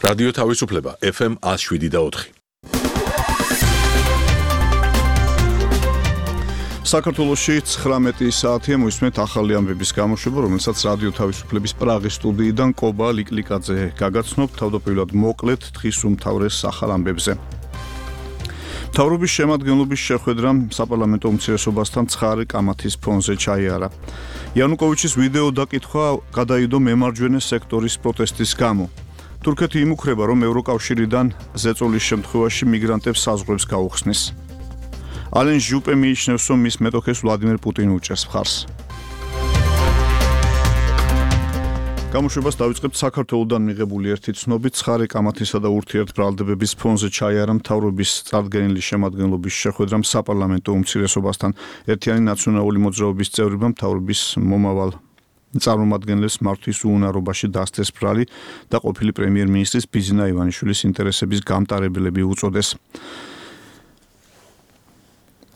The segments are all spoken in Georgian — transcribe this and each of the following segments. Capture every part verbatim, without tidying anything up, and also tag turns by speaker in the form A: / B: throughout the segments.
A: რადიო თავისუფლება ეფ ემ one oh seven და four.
B: საქართველოში ცხრამეტი საათია მოისმენთ ახალი ამბების გამოშვება, რომელსაც რადიო თავისუფლების პრაღის სტუდიიდან კობა ლიკლიკაძე გაგაცნობ. თავდაპირველად მოკლედ დღის უმთავრეს ახალ ამბებზე. მთავრობის შემადგენლობის შეხვედრა საპარლამენტო უმცირესობასთან ცხარე კამათის ფონზე ჩაიარა. იანუკოვიჩის ვიდეო დაკითხვა გადაიდო მემარჯვენე სექტორის პროტესტის გამო. თურქეთი იმუქრება, რომ ევროკავშირიდან ზეწოლის შემთხვევაში მიგრანტებს საზღვრებს გაუხსნის. ალენ ჟუპე მიიჩნევს, რომ მის მეტოქეს ვლადიმერ პუტინი უჭერს მხარს. გამოშვებას დავიწყებთ საქართველოდან მიღებული ერთი ცნობით. ცხარე კამათისა და ურთიერთბრალდებების ფონზე ჩაიარა მთავრობის წარდგენილი შემადგენლობის შეხვედრა საპარლამენტო უმცირესობასთან. ერთიანი ნაციონალური მოძრაობის წევრებმა მთავრობის მომავალ წარმომადგენლებს მართვის უუნარობაში დასცეს ბრალი და ყოფილი პრემიერ-მინისტრის ბიზნა ივანიშვილის ინტერესების გამტარებლები უწოდეს.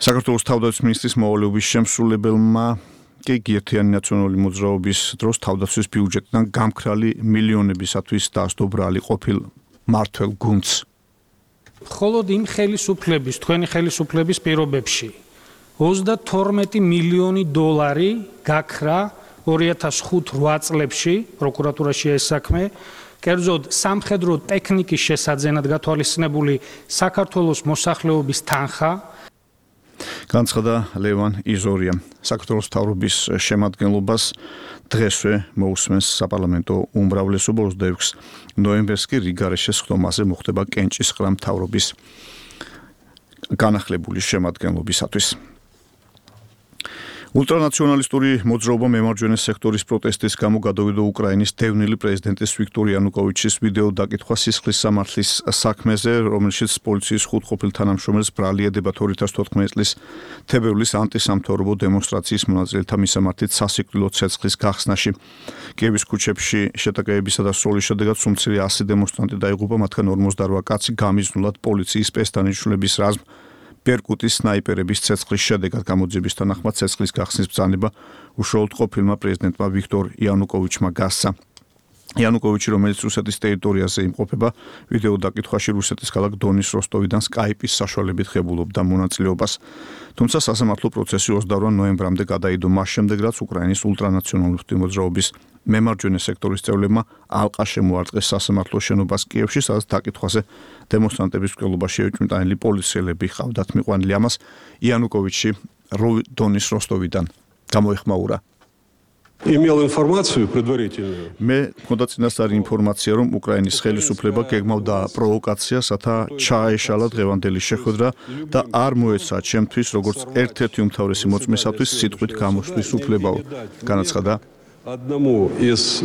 B: საქართველოს თავდაცვის მინისტრის მოვალეობის შემსრულებელმა კი ერთიანი ნაციონალური მოძრაობის დროს თავდაცვის ბიუჯეტიდან გამქრალი მილიონებისათვის დასდო ბრალი ყოფილ მართველ გუნდს.
C: მხოლოდ იმ ხელისუფლების, თქვენი ხელისუფლების პირობებში ოცდათორმეტი მილიონი დოლარი გაქრა ორი ათას ხუთ რვა წლებში პროკურატურაში ეს საქმე, კერძოდ სამხედრო ტექნიკის შესაძენად გათვალისწინებული საქართველოს მოსახლეობის თანხა.
B: განცხადა ლევან იზორია. საქართველოს მთავრობის შემადგენლობას დღესვე მოусმენს საპარლამენტო უმრავლესობა ოცდაექვსი ნოემბერს კი რიგარეშეს ხდომაზე მოხდება კენჭისყრა მთავრობის განახლებული შემადგენლობისათვის. ულტრანაციონალისტური მოძრაობა მემარჯვენე სექტორის პროტესტის გამო გადავიდა უკრაინის დევნილი პრეზიდენტის ვიქტორ იანუკოვიჩის ვიდეო დაკითხვა სისხლის სამართლის საქმეზე, რომელშიც პოლიციის ხუთ ყოფილ თანამშრომელს ბრალი ედებათ ორი ათას თოთხმეტი წლის თებერვლის ანტისამთავრობო დემონსტრაციის მონაწილეთა მისამართით სასიკვდილო ცეცხლის გახსნაში. კიევის ქუჩებში შეტაკებებისა და სროლის შედეგად სულ ასი დემონსტრანტი დაიღუპა, მათგან ორმოცდარვა კაცი გამიზნულად პოლიციის პესტანიშვილების რაზმ პერკუტის სნაიპერების ცეცხლის შედეგად. გამოძიების თანახმად ცეცხლის გახსნის ბრძანება უშუალოდ ყოფილმა პრეზიდენტმა ვიქტორ იანუკოვიჩმა გასცა. იანუკოვიჩი, რომელიც რუსეთის ტერიტორიაზე იმყოფება, ვიდეო დაკითხვაში რუსეთის ქალაქ დონის როსტოვიდან სკაიპის საშუალებით ღებულობდა მონაწილეობას. თუმცა სასამართლო პროცესი ოცდაორ ნოემბრამდე გადაიდო, მას შემდეგ რაც უკრაინის ულტრანაციონალისტური მოძრაობის მემარჯვენე სექტორის წევრებმა ალყა შემოარტყეს სასამართლო შენობას კიევში, სადაც დაკითხვაზე დემონსტრანტების მკვლელობაში ეჭვმიტანილი პოლიციელები ჰყავდათ მიყვანილი. ამას იანუკოვიჩი დონის როსტოვიდან გამოეხმაურა.
D: Имел информацию предварительную.
B: მე მქონდა წინასწარი ინფორმაცია, რომ უკრაინის ხელისუფლება გეგმავდა პროვოკაციას, რათა ჩაეშალა დღევანდელი შეხვედრა და არ მოეცა ჩემთვის, როგორც ერთ-ერთი უმთავრესი მოწმისათვის სიტყვით გამოსვლის უფლებაო. განაცხადა
D: одному из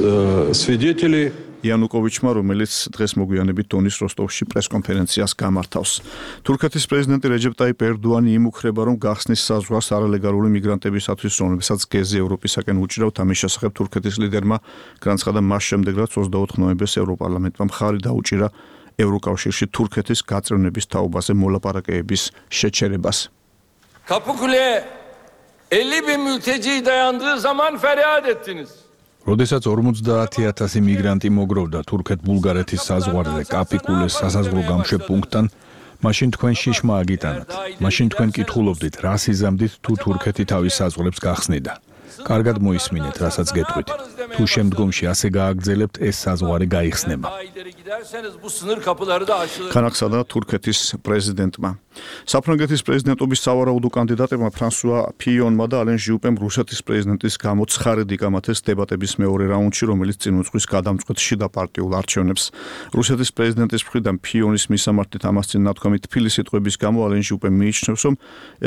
D: свидетелей
B: იანუკოვიჩმა, რომელიც დღეს მოგვიანებით დონის როსტოვში პრესკონფერენციას გამართავს. თურქეთის პრეზიდენტი რეჯეპ ტაიპ ერდოანი იმუქრება, რომ გახსნის საზღვარს არალეგალური მიგრანტებისათვის, რომლებსაც გეზი ევროპისაკენ უჭირავთ. ამის შესახებ თურქეთის ლიდერმა განაცხადა მას შემდეგ, რაც ოცდაოთხ ნოემბერს ევროპარლამენტმა მხარი დაუჭირა ევროკავშირში თურქეთის გაწევნების თაობაზე მოლაპარაკებების შეჩერებას.
E: Kapıkule elli bin mülteci dayandığı zaman feryat ettiniz.
F: როდესაც ორმოცდაათი ათასი მიგრანტი მოგროვდა თურქეთ-ბულგარეთის საზღვარზე კაპიკულეს სასაზღვრო გამშვებ პუნქტთან, მაშინ თქვენ შიშმა აგიტანათ. მაშინ თქვენ კითხულობდით, რა სიზამდით თუ თურქეთი თავის საზღვრებს გახსნიდა. კარგად მოისმინეთ, რასაც გეტყვით. თუ შემდგომში ასე გააგრძელებთ, ეს საზღვარი გაიხსნება.
B: განაცხადა თურქეთის პრეზიდენტმა. საფრანგეთის პრეზიდენტობის სავარაუდო კანდიდატებმა ფრანსუა ფიონმა და ალენ ჟიუპემ რუსეთის პრეზიდენტის გამო ცხარედ იკამათეს დებატების მეორე რაუნდში, რომელიც წინ უძღვის გადამწყვეტ შიდა პარტიულ არჩევნებს. რუსეთის პრეზიდენტის მხრიდან ფიონის მისამართით ამას წინ ნათქვამი თბილი სიტყვების გამო ალენ ჟიუპემ მიიჩნევს, რომ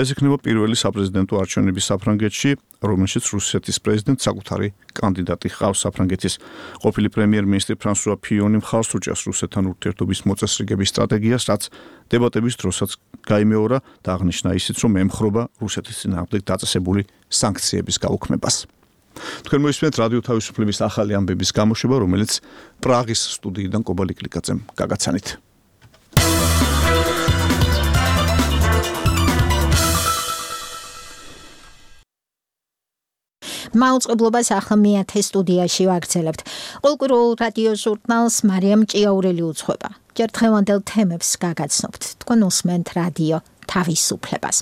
B: ეს იქნება პირველი საპრეზიდენტო არჩევნები საფრანგეთში, რომელშიც რუსეთის პრეზიდენტს საკუთარი კანდიდატი ჰყავს. საფრანგეთის ყოფილი პრემიერ-მინისტრი ფრანსუა ფიონი მხარს უჭერს რუსეთთან ურთიერთობის მოწესრიგების სტრატეგიას, რაც დებატების დროსაც გაიმეორა და აღნიშნა ისიც, რომ ემხრობა რუსეთის წინააღმდეგ დაწესებული სანქციების გაუქმებას. თქვენ მოისმენთ რადიო თავისუფლების ახალი ამბების გამოშვება, რომელიც პრაღის სტუდიიდან კობა ლიკლიკაძემ გაგაცანით.
G: მაუწყებლობას ახლა მეათე სტუდიაში ვაგრძელებთ. Ყოველკვირეულ რადიო ჟურნალს მარიამ ჭიაურელი უძღვება. ჯერ დღევანდელ თემებს გაგაცნობთ. თქვენ უსმენთ რადიო თავისუფლებას.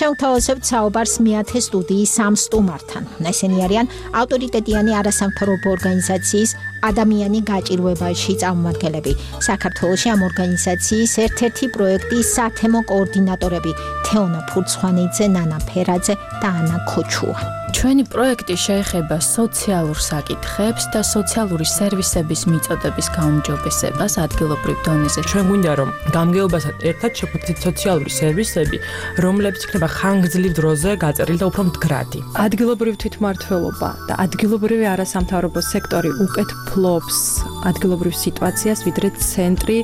G: შევთავაზებთ საუბარს მეათე სტუდიის სამ სტუმართან. ესენი არიან ავტორიტეტიანი არასამთავრობო ორგანიზაციის ადამიანი გაჭირვებაში წარმომადგენლები. საქართველოში ამ ორგანიზაციის ერთ-ერთი პროექტის სათემო კოორდინატორები თეონა ფურცხვანიძე, ნანა ფერაძე და ანა ქოჩუა.
H: ჩვენი პროექტი შეეხება სოციალურ საკითხებს და სოციალური სერვისების მიწოდების გაუმჯობესებას ადგილობრივ დონეზე.
I: ჩვენ გვინდა რომ გამგეობასთან ერთად შეგვიძლია სოციალური სერვისები, რომლებიც იქნება ხანგრძლივ დროზე გაწერილი და უფრო მდგრადი.
J: ადგილობრივი თვითმმართველობა და ადგილობრივი არასამთავრობო სექტორი უკეთ ფლობს ადგილობრივ სიტუაციას, ვიდრე ცენტრი.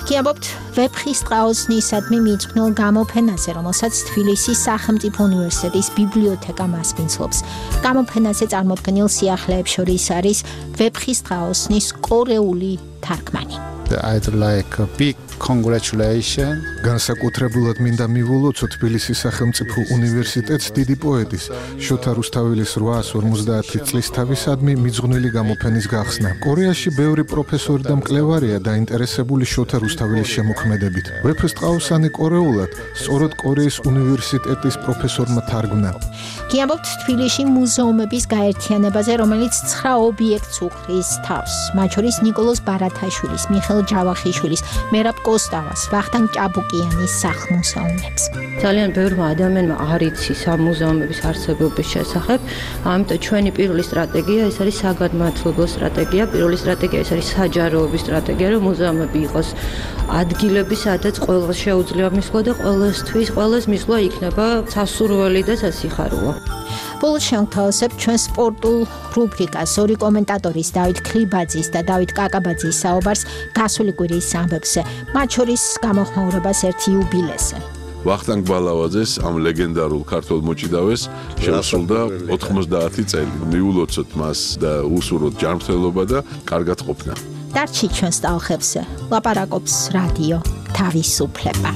G: Გიამბობთ ვეფხისტყაოსნისადმი მიძღვნილ გამოფენაზე, რომელსაც თბილისის სახელმწიფო უნივერსიტეტის ბიბლიოთეკა მასპინძლობს. გამოფენაზე წარმოდგენილ სიახლეებს შორის არის ვეფხისტყაოსნის კორეული თარგმანი.
K: I'd like a big congratulations.
L: განსაკუთრებულად მინდა მივულოცო თბილისის სახელმწიფო უნივერსიტეტს დიდი პოეტის შოთა რუსთაველის რვაას ორმოცდაათი წლის თავისადმი მიძღვნილი გამოფენის გახსნა. კორეაში ბევრი პროფესორი და მკვლევარია დაინტერესებული შოთა რუსთაველის შემოქმედებით. ვეფხისტყაოსანი კორეულად სწორედ კორეის უნივერსიტეტის პროფესორმა თარგმნა.
G: გიამბობთ თბილისში მუზეუმების გაერთიანებაზე, რომელიც ცხრა ობიექტს უყრის თავს. მათ შორის ნიკოლოზ ბარათაშვილის, მიხეილ ჯავახიშვილის, მერაბ კოსტავას, ვახტანგ ჭაბუკიანის სახლ-მუზეუმებს.
M: ძალიან ბევრმა ადამიანმა არ იცის ამ მუზეუმების არსებობის შესახებ, ამიტომ ჩვენი პირველი სტრატეგია ეს არის საგანმანათლებლო სტრატეგია, პირველი სტრატეგია ეს არის საჯაროების სტრატეგია, რომ მუზეუმები იყოს ადგილები, სადაც ყველას შეუძლია მისვლა და ყველასთვის ყველას მისვლა იქნება სასურველი და სასიხარულო.
G: ბოლოს შევთავაზებთ ჩვენ სპორტულ რუბრიკას ორი კომენტატორის დავით ქლიბაძის და დავით კაკაბაძის საუბარს გასული კვირის ამბებზე, მათ შორის გამოხმაურებას ერთ იუბილეზე.
A: ვახტანგ ბალავაძეს ამ ლეგენდარულ ქართველ მოჭიდავეს შეუსრულდა ოთხმოცდაათი წელი. მიულოცოთ მას და უსურვოთ ჯანმრთელობა და კარგად ყოფნა.
G: დარჩი ჩვენს ტალღებზე. ლაპარაკობს რადიო თავისუფლება.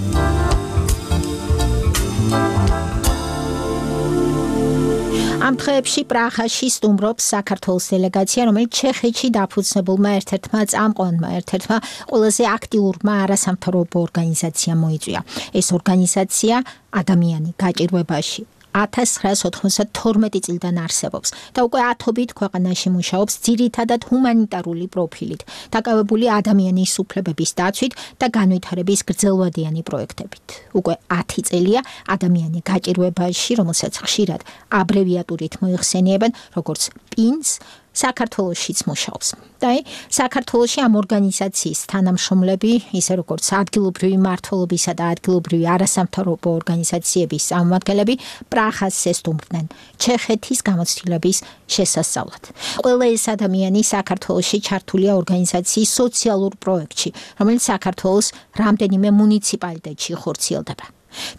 G: ამ დღეებში პრაღაში სტუმრობს საქართველოს დელეგაცია, რომელიც ჩეხეთში დაფუძნებულმა ერთ-ერთმა წამყვანმა, ერთ-ერთმა ყველაზე აქტიურმა არასამთავრობო ორგანიზაციამ მოიწვია. ეს ორგანიზაცია ადამიანი გაჭირვებაში ათას ცხრაას ოთხმოცდათორმეტი წლიდან არსებობს და უკვე ათობით ქვეყანაში მუშაობს ძირითადად ჰუმანიტარული პროფილით, დაკავებული ადამიანის უფლებების დაცვით და განვითარების გრძელვადიანი პროექტებით. უკვე ათი წელია ადამიანი გაჭირვებაში, რომელსაც ხშირად აბრევიატურით მოიხსენიებენ როგორც პინს, საქართველოშიც მუშაობს. და საქართველოში ამ ორგანიზაციის თანამშრომლები, ისე როგორც ადგილობრივი მმართველობისა და ადგილობრივი არასამთავრობო ორგანიზაციების წარმომადგენლები პრაღას ესტუმრნენ ჩეხეთის გამოცდილების შესასწავლად. ყველა ეს ადამიანი საქართველოში ჩართულია ორგანიზაციის სოციალურ პროექტში, რომელიც საქართველოს რამდენიმე მუნიციპალიტეტში ხორციელდება.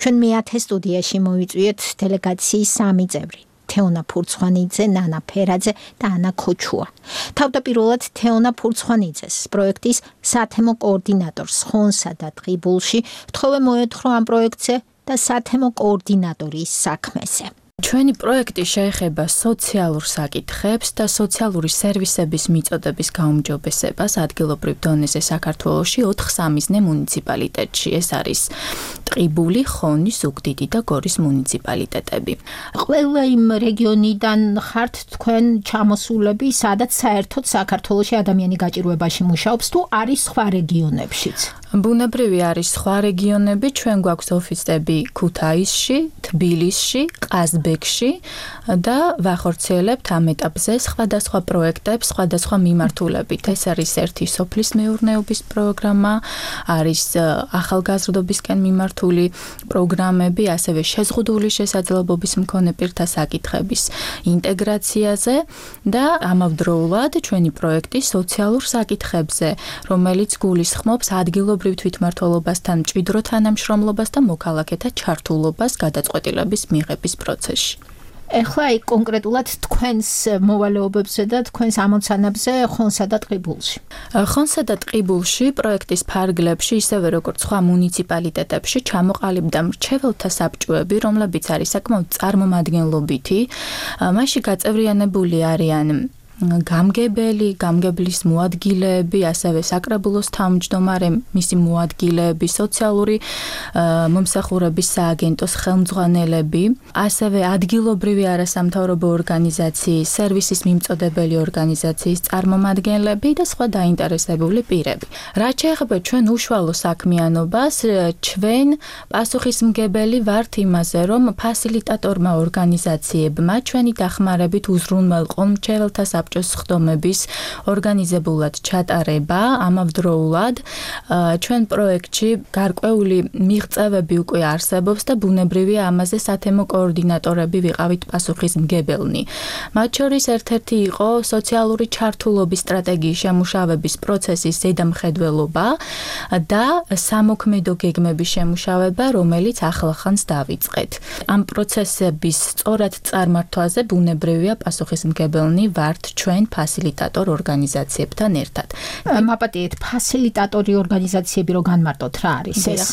G: ჩვენ მეათე სტუდიაში მოვიწვიეთ დელეგაციის სამი წევრი. თეონა ფურცხვანიძე, ნანა ფერაძე და ანა ქოჩუა. თავდაპირველად თეონა ფურცხვანიძეს პროექტის სათემო კოორდინატორს ხონსა და ტყიბულში თხოვე მოეთხრო ამ პროექტზე და სათემო კოორდინატორის საქმეზე.
H: ჩვენი პროექტი შეეხება სოციალურ საკითხებს და სოციალური სერვისების მიწოდების გაუმჯობესებას ადგილობრივ დონეზე საქართველოში ოთხ სამიზნე მუნიციპალიტეტში. ეს არის ტყიბული, ხონი, ზუგდიდი და გორის მუნიციპალიტეტები.
G: ყველა იმ რეგიონიდან ხართ თქვენ ჩამოსულები, სადაც საერთოდ საქართველოში ადამიანი გაჭირვებაში მუშაობს თუ არის სხვა რეგიონებშიც?
H: ბუნებრივი არის სხვა რეგიონები, ჩვენ გვაქვს ოფისები ქუთაისში, თბილისში, ყაზბეგში და ვახორციელებთ ამ ეტაპზე სხვადასხვა პროექტებს, სხვადასხვა მიმართულებით. ეს არის ერთი სოფლის მეურნეობის პროგრამა, არის ახალგაზრდობისკენ მიმართული პროგრამები, ასევე შეზღუდული შესაძლებლობის მქონე პირთა საკითხების ინტეგრაციაზე და ამავდროულად ჩვენი პროექტი სოციალურ საკითხებზე, რომელიც გულისხმობს ადგილობრივ თვითმმართველობასთან მჭიდრო თანამშრომლობას და მოქალაქეთა ჩართულობას გადაწყვეტილების მიღების პროცესში.
G: ეხლა აი კონკრეტულად თქვენს მოვალეობებზე და თქვენს ამოცანებზე ხონსა და ტყიბულში.
H: ხონსა და ტყიბულში პროექტის ფარგლებში ისევე როგორც სხვა მუნიციპალიტეტებში ჩამოყალიბდა მრჩეველთა საბჭოები, რომლებიც არის საკმაოდ წარმომადგენლობითი. მასში გაწევრიანებული არიან გამგებელი, გამგებლის მოადგილეები, ასევე საკრებულოს თავმჯდომარე, მისი მოადგილეები, სოციალური მომსახურების სააგენტოს ხელმძღვანელები, ასევე ადგილობრივი არასამთავრობო ორგანიზაციის, სერვისის მიმწოდებელი ორგანიზაციის წარმომადგენლები და სხვა დაინტერესებული პირები. რაც შეეხება ჩვენ უშუალო საქმიანობას, ჩვენ პასუხისმგებელი ვართ იმაზე, რომ ფასილიტატორმა ორგანიზაციებმა ჩვენი დახმარებით უზრუნველყო მრჩეველთა საბჭოს ხდომების ორგანიზებულად ჩატარება ამავდროულად ჩვენ პროექტში გარკვეული მიღწევები უკვე არსებობს და ბუნებრივია ამაზე სათემო კოორდინატორები ვიყავით პასუხისმგებელნი. მათ შორის ერთ-ერთი იყო სოციალური ჩართულობის სტრატეგიის შემუშავების პროცესის ზედამხედველობა და სამოქმედო გეგმების შემუშავება, რომელიც ახლახანს დავიწყეთ. ამ პროცესების სწორად წარმართვაზე ბუნებრივია პასუხისმგებელნი ვართ ჩვენ ფასილიტატორ ორგანიზაციებთან ერთად.
G: მაპატიეთ, ფასილიტატორი ორგანიზაციები რო განმარტოთ რა არის ეს?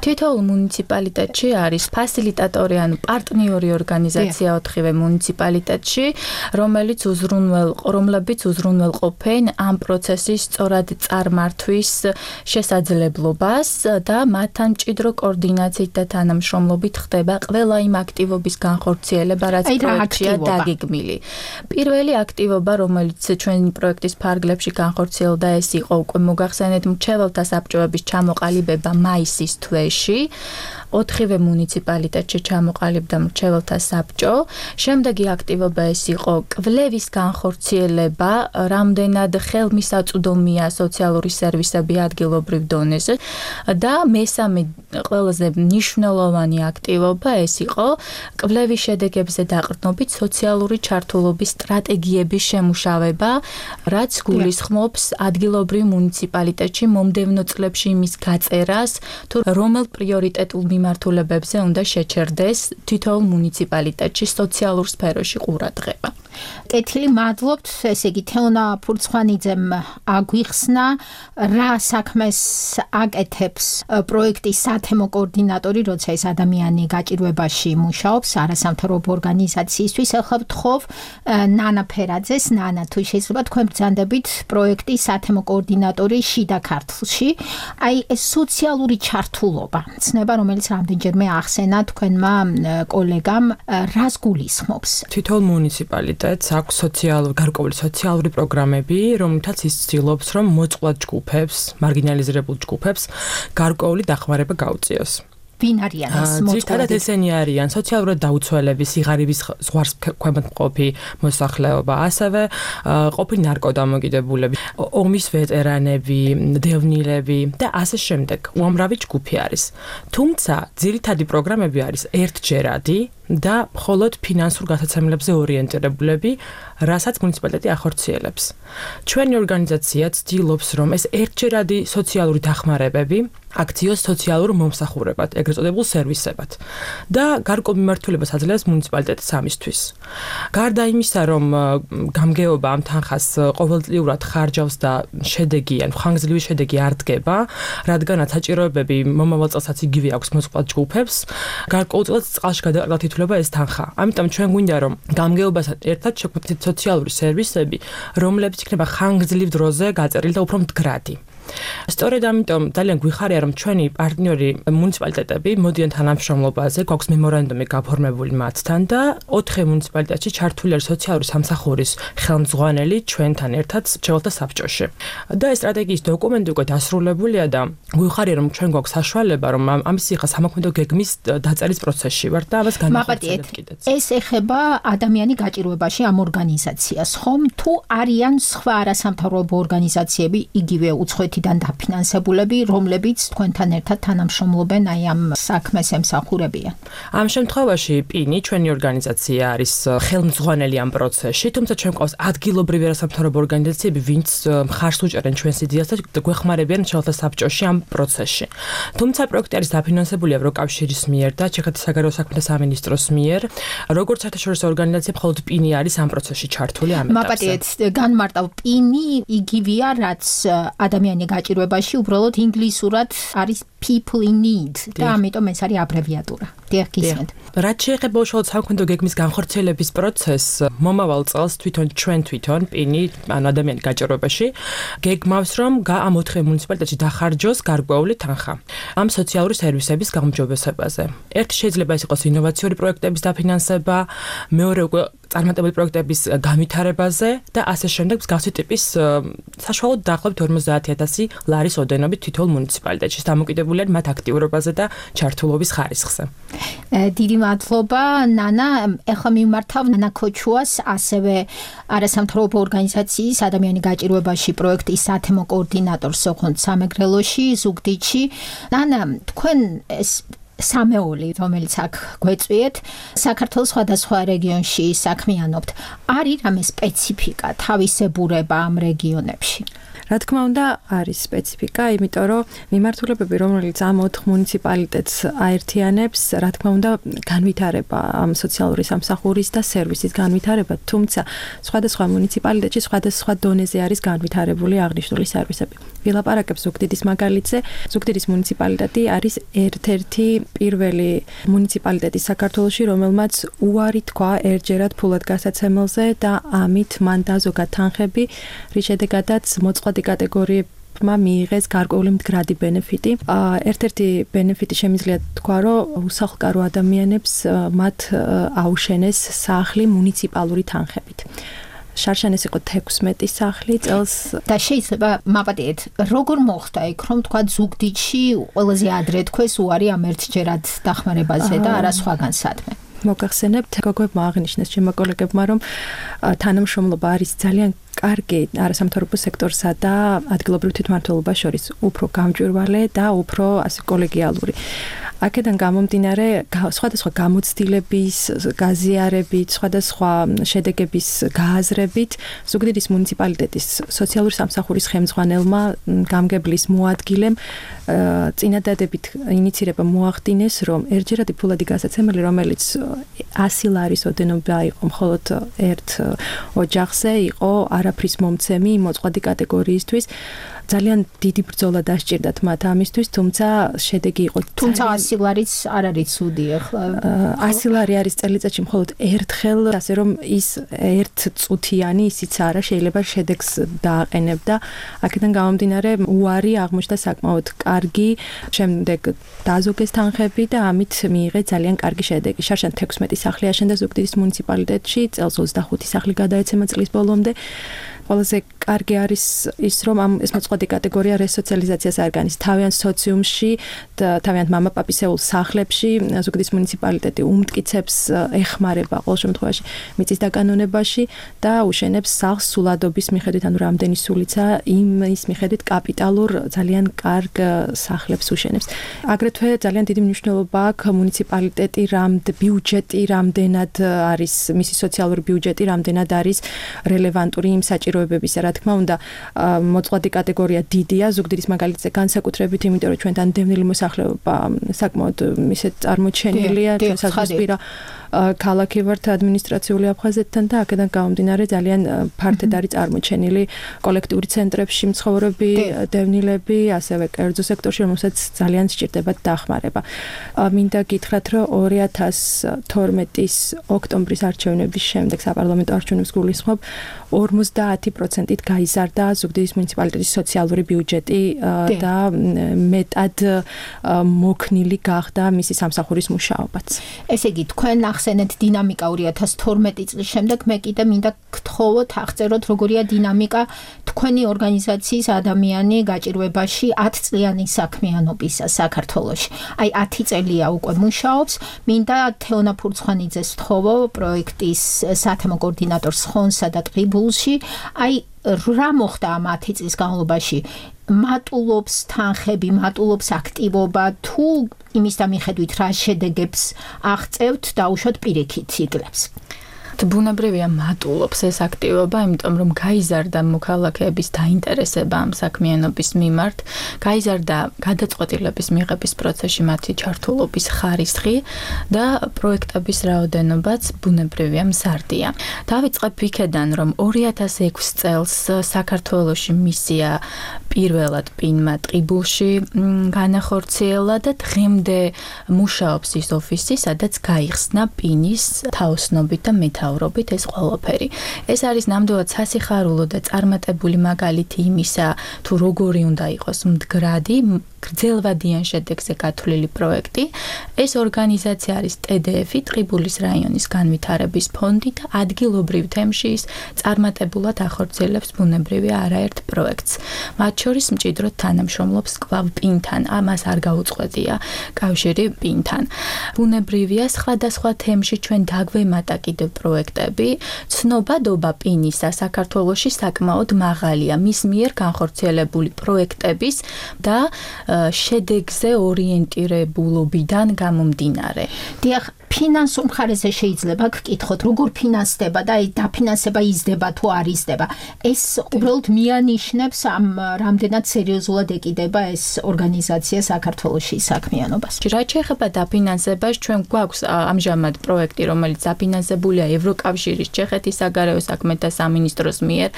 H: თითოეულ მუნიციპალიტეტში არის ფასილიტატორი, ანუ პარტნიორი ორგანიზაცია ოთხივე მუნიციპალიტეტში, რომელიც უზრუნველყო, რომლებიც უზრუნველყოფენ ამ პროცესის სწორად წარმართვის შესაძლებლობას და მათთან მჭიდრო კოორდინაციით და თანამშრომლობით ხდება ყველა იმ აქტივობის განხორციელება, რაც პროექტშია დაგეგმილი. პირველი აქტივობა, რომელიც ჩვენი პროექტის ფარგლებში განხორციელდა, ეს იყო უკვე მოგახსენეთ მრჩეველთა საბჭოების ჩამოყალიბება მაისის თვეში. ოთხივე მუნიციპალიტეტში ჩამოყალიბდა მრჩეველთა საბჭო. შემდეგი აქტივობა ეს იყო კვლევის განხორციელება, რამდენად ხელმისაწვდომია სოციალური სერვისები ადგილობრივ დონეზე და მესამე ყველაზე მნიშვნელოვანი აქტივობა ეს იყო კვლევის შედეგებზე დაყრდნობით სოციალური ჩართულობის სტრატეგიების შემუშავება, რაც გულისხმობს ადგილობრივ მუნიციპალიტეტში მომდევნო წლებში იმის გაწერას, თუ რომელ პრიორიტეტულ მიმართულებებზე უნდა შეჩერდეს თითოეულ მუნიციპალიტეტში სოციალურ სფეროში ყურადღება.
G: კეთილი, მადლობთ. ესე იგი, თეონა ფურცხვანიძემ აგვიხსნა, რა საქმეს აკეთებს პროექტის სათემო კოორდინატორი, როცა ეს ადამიანი გაჭირვებაში მუშაობს არასამთავრობო ორგანიზაციისთვის. ახლა ვთხოვ ნანა ფერაძეს. ნანა, თუ შეიძლება თქვენ ბრძანდებით პროექტის სათემო კოორდინატორი შიდა ქართლში. აი, ეს სოციალური ჩართულობა, ცნება, რომელიც რამდენჯერმე ახსენა თქვენმა კოლეგამ, რას გულისხმობს?
I: თითოეულ მუნიციპალიტეტს აქვს სოციალური გარკვეული სოციალური პროგრამები, რომლითაც ის ცდილობს, რომ მოწყვლად ჯგუფებს, მარგინალიზებულ ჯგუფებს გარკვეული დახმარება გაუწიოს.
G: ვინ არიან ეს მოწყვლადი?
I: ძირითადად ესენი არიან სოციალურად დაუცველები, სიღარიბის ზღვარს ქვემოთ მყოფი მოსახლეობა, ასევე ყოფილი ნარკოდამოკიდებულები, ომის ვეტერანები, დევნილები და ასე შემდეგ. უამრავი ჯგუფი არის. თუმცა ძირითადი პროგრამები არის ერთჯერადი და მხოლოდ ფინანსურ გასაცემლებზე ორიენტირებულები, რასაც მუნიციპალიტეტი ახორციელებს. ჩვენი ორგანიზაცია ცდილობს, რომ ეს ერთჯერადი სოციალური დახმარებები აქციოს სოციალურ მომსახურებად, ეგრეთ წოდებულ სერვისებად და გარკვეულ მიმართულებას აძლევს მუნიციპალიტეტის ამისთვის. გარდა იმისა, რომ გამგეობა ამ თანხას ყოველწლიურად ხარჯავს და შედეგი, ან ხანგრძლივი შედეგი არ დგება, რადგანაც საჭიროებები მომავალ წელსაც იგივე აქვს მოწყვლად ჯგუფებს, გარკვეულწილად წყალში გადაყრდნილად ითვლება ეს თანხა. ამიტომ ჩვენ გვინდა, რომ გამგეობასთან ერთად შეგვეცდეთ სოციალური სერვისები, რომლებიც იქნება ხანგრძლივ დროზე გაწერილი და უფრო მდგრადი. სწორედ ამიტომ ძალიან გვიხარია, რომ ჩვენი პარტნიორი მუნიციპალიტეტები მოდიან თანამშრომლობაზე, გვაქვს მემორანდუმი გაფორმებული მათთან და ოთხი მუნიციპალიტეტში ჩართული არის სოციალური სამსახურის ხელმძღვანელი ჩვენთან ერთად მრჩეველთა საბჭოში. და ეს სტრატეგიის დოკუმენტი უკვე დასრულებულია და გვიხარია, რომ ჩვენ გვაქვს საშუალება, რომ ამის ხა სამოქმედო გეგმის დაწერის პროცესში ვართ და ამას განახორციელებთ კიდეც.
G: ეს ეხება ადამიანი გაჭირვებაში ამ ორგანიზაციას, ხომ? თუ არიან სხვა არასამთავრობო ორგანიზაციები იგივე უცხოეთიდან დაფინანსებულები, რომლებიც თქვენთან ერთად თანამშრომლობენ აი ამ საქმეს ემსახურებიან.
I: ამ შემთხვევაში პინი ჩვენი ორგანიზაცია არის ხელმძღვანელი ამ პროცესში, თუმცა ჩვენ ყავს ადგილობრივი არასამთავრობო ორგანიზაციები, ვინც მხარს უჭერენ ჩვენს იდეას და გვეხმარებიან მშრალთა საბჭოში ამ პროცესში. თუმცა პროექტი არის დაფინანსებული ევროკავშირის მიერ და ჩეხეთის საგარეო საქმეთა სამინისტროს მიერ. როგორც საერთაშორისო ორგანიზაცია, მხოლოდ პინი არის ამ პროცესში ჩართული ამ ეტაპზე.
G: მაპატიეთ, განმარტავ, პინი იგივეა, რაც ადამიანი გაჭირვებაში, უბრალოდ ინგლისურად არის people in need და ამიტომ ეს არის აბრევიატურა. დიახ, გისმენთ.
I: რაც შეეხება უშუალოდ სამხედრო გეგმის განხორციელების პროცესს, მომავალ წელს თვითონ ჩვენ თვითონ პინი, ანუ ადამიანი გაჭირვებაში, გეგმავს, რომ ამ ოთხ მუნიციპალიტეტში დახარჯოს გარკვეული თანხა ამ სოციალური სერვისების გაუმჯობესებაზე. ერთი შეიძლება ეს იყოს ინოვაციური პროექტების დაფინანსება, მეორე უკვე წარმატებული პროექტების განვითარებაზე და ასე შემდეგ მსგავსი ტიპის საშუალოდ დაახლოებით ორმოცდაათი ათასი ლარის ოდენობით თითოეულ მუნიციპალიტეტში დამოკიდებულია მათ აქტიურობაზე და ჩართულობის ხარისხზე.
G: დიდი მადლობა, ნანა. ეხლა მიმართავ ნანა ქოჩუას, ასევე არასამთავრობო ორგანიზაციის ადამიანი გაჭირვებაში პროექტის სათემო კოორდინატორს ოღონდ სამეგრელოში, ზუგდიდში. ნანა, თქვენ ეს სამეული, რომელიც აქ გვეწვიეთ, საქართველოს სხვადასხვა რეგიონში საქმიანობთ. არის რამე სპეციფიკა, თავისებურება ამ რეგიონებში?
J: რა თქმა უნდა, არის სპეციფიკა, იმიტომ რომ მიმართულებები, რომელიც ამ ოთხ მუნიციპალიტეტს აერთიანებს, რა თქმა უნდა, განვითარება ამ სოციალური სამსახურის და სერვისის განვითარება, თუმცა სხვადასხვა მუნიციპალიტეტში სხვადასხვა დონეზე არის განვითარებული აღნიშნული სერვისები. ვილაპარაკებ ზუგდიდის მაგალითზე. ზუგდიდის მუნიციპალიტეტი არის ერთ-ერთი პირველი მუნიციპალიტეტი საქართველოში, რომელმაც უარი თქვა ერთჯერად ფულად გასაცემელზე და ამით მან დაზოგა თანხები, რის შედეგადაც მოწყვლადი კატეგორიებმა მიიღეს გარკვეული მდგრადი ბენეფიტი. ერთ-ერთი ბენეფიტი შემიძლია თქვა, რომ უსახლკარო ადამიანებს მათ აუშენეს სახლი მუნიციპალური თანხებით. შარშანეს იყო თექვსმეტი სახლი წელს
G: და შეიძლება მაპატიეთ, როგორ მოხდა იქ, რომ თქვა ზუგდიდში ყველაზე ადრე თქვეს უარი ამ ერთჯერად დახმარებაზე და არა სხვაგან სადმე.
J: მოგახსენებთ, გოგოებმა აღნიშნეს ჩემმა კოლეგებმა, რომ თანამშრომლობა არის ძალიან კარგი არასამთავრობო სექტორსა და ადგილობრივ თვითმმართველობას შორის უფრო გამჭვირვალე და უფრო ასე კოლეგიალური. აქედან გამომდინარე, სხვადასხვა გამოცდილების, გაზიარებით, სხვადასხვა შედეგების გააზრებით, ზუგდიდის მუნიციპალიტეტის სოციალური სამსახურის ხელმძღვანელმა გამგებლის მოადგილემ წინადადებით ინიცირება მოახდინეს, რომ ერთჯერადი ფულადი გასაცემელი, რომელიც ასი ლარის ოდენობა იყო მხოლოდ ერთ ოჯახზე, იყო არაფრის მომცემი მოწყვლადი კატეგორიისთვის. ძალიან დიდი ბრძოლა დასჭირდათ მათ ამისთვის, თუმცა შედეგი იყო.
G: თუმცა ასი ლარიც არ არის ცუდი ახლა.
J: ასი ლარი არის წელიწადში მხოლოდ ერთხელ, ასე რომ ის ერთ წუთიანი ისიც არა, შეიძლება შედეგს დააყენებდა. აქედან გამომდინარე, უარი აღმოჩნდა საკმაოდ კარგი, შემდეგ დაზოგეს თანხები და ამით მიიღეს ძალიან კარგი შედეგი. შარშან თექვსმეტი სახლი აშენდა ზუგდიდის მუნიციპალიტეტში, წელს ოცდახუთი სახლი გადაეცემა წლის ბოლომდე. ყველაზე კარგი არის ის, რომ ამ ეს მოწყვლადი კატეგორია რესოციალიზაციას არგანის თავიანთ სოციუმში და თავიანთ მამაპაპისეულ სახლებში ზუგდიდის მუნიციპალიტეტი უმტკიცებს ეხმარება ყოველ შემთხვევაში მიწის დაკანონებაში და უშენებს სახლს სულადობის მიხედვით, ანუ რამდენი სულიცა იმის მიხედვით კაპიტალურ ძალიან კარგ სახლებს უშენებს. აგრეთვე ძალიან დიდი მნიშვნელობა აქვს მუნიციპალიტეტი რამდ ბიუჯეტი რამდენად არის მისი სოციალური ბიუჯეტი რამდენად არის რელევანტური იმ საჭიროებებისა. რა თქმა უნდა, მოწყვლადი კატეგორია დიდია, ზუგდიდის მაგალითზე განსაკუთრებით, იმიტომ რომ ჩვენთან დევნილი მოსახლეობა საკმაოდ ისეთ წარმოჩენილია, ჩვენ საზღვრისპირა ქალაქი ვართ ადმინისტრაციული აფხაზეთთან და აქედან გამომდინარე ძალიან ფართედ არის წარმოჩენილი კოლექტიური ცენტრებში მცხოვრები დევნილები, ასევე კერძო სექტორში, რომელსაც ძალიან სჭირდებათ დახმარება. მინდა გითხრათ, რომ ორი ათას თორმეტის ოქტომბრის არჩევნების შემდეგ საპარლამენტო არჩევნებს გულისხმობ ორმოცდაათი პროცენტით გაიზარდა ზუგდიდის მუნიციპალიტეტის სოციალური ბიუჯეტი და მეტად მოქნილი გახდა მისი სამსახურის მუშაობაც.
G: ესე იგი, თქვენ ახსენეთ დინამიკა ორი ათას თორმეტი წლის შემდეგ, მე კიდე მინდა გთხოვოთ აღწეროთ, როგორია დინამიკა თქვენი ორგანიზაციის ადამიანი გაჭირვებაში ათ წლიანი საქმიანობისა საქართველოში. აი ათი წელია უკვე მუშაობს. მინდა თეონა ფურცხვანიძეს ვთხოვო პროექტის სათემო კოორდინატორს ხონსა და ტყიბულში. აი რა მოხდა ამ ათი წლის განმავლობაში? მატულობს თანხები, მატულობს აქტივობა თუ იმის და მიხედვით რა შედეგებს აღწევთ დაუშვათ პირიქით ციკლებს?
H: ბუნებრივია მატულობს ეს აქტივობა, იმიტომ რომ გაიზარდა მოქალაქეების დაინტერესება ამ საქმიანობის მიმართ, გაიზარდა გადაწყვეტილების მიღების პროცესში მათი ჩართულობის ხარისხი და პროექტების რაოდენობაც ბუნებრივია მზარდია. დავიწყებ იქედან, რომ ორი ათას ექვსი წელს საქართველოში მისია პირველად პინმა ტყიბულში განახორციელა და დღემდე მუშაობს ის ოფისი, სადაც გაიხსნა პინის თაოსნობით და მეთაურობით ეს ყველაფერი. ეს არის ნამდვილად სასიხარულო და წარმატებული მაგალითი იმისა, თუ როგორი უნდა იყოს მდგრადი, გრძელვადიან შედეგზე გათვლილი პროექტი. ეს ორგანიზაცია არის ტე დე ეფი, ტყიბულის რაიონის განვითარების ფონდი და ადგილობრივ თემში ის წარმატებულად ახორციელებს ბუნებრივია არაერთ პროექტს. მათ შორის მჭიდროდ თანამშრომლობს კვლავ პინთან, ამას არ გაუწყვეტია კავშირი პინთან. ბუნებრივია სხვადასხვა თემში ჩვენ დაგვემატა კიდევ პროექტები. ცნობადობა პინისა საქართველოში საკმაოდ მაღალია მის მიერ განხორციელებული პროექტების და შედეგზე ორიენტირებულობიდან გამომდინარე.
G: დიახ, ფინანსურ მხარეზე შეიძლება გკითხოთ, როგორ ფინანსდება და აი დაფინანსება იზრდება თუ არ იზრდება. ეს უბრალოდ მიანიშნებს ამ რამდენად სერიოზულად ეკიდება ეს ორგანიზაცია საქართველოში საქმიანობას.
H: რაც შეეხება დაფინანსებას, ჩვენ გვაქვს ამჟამად პროექტი, რომელიც დაფინანსებულია ევროკავშირის, ჩეხეთის საგარეო საქმეთა სამინისტროს მიერ,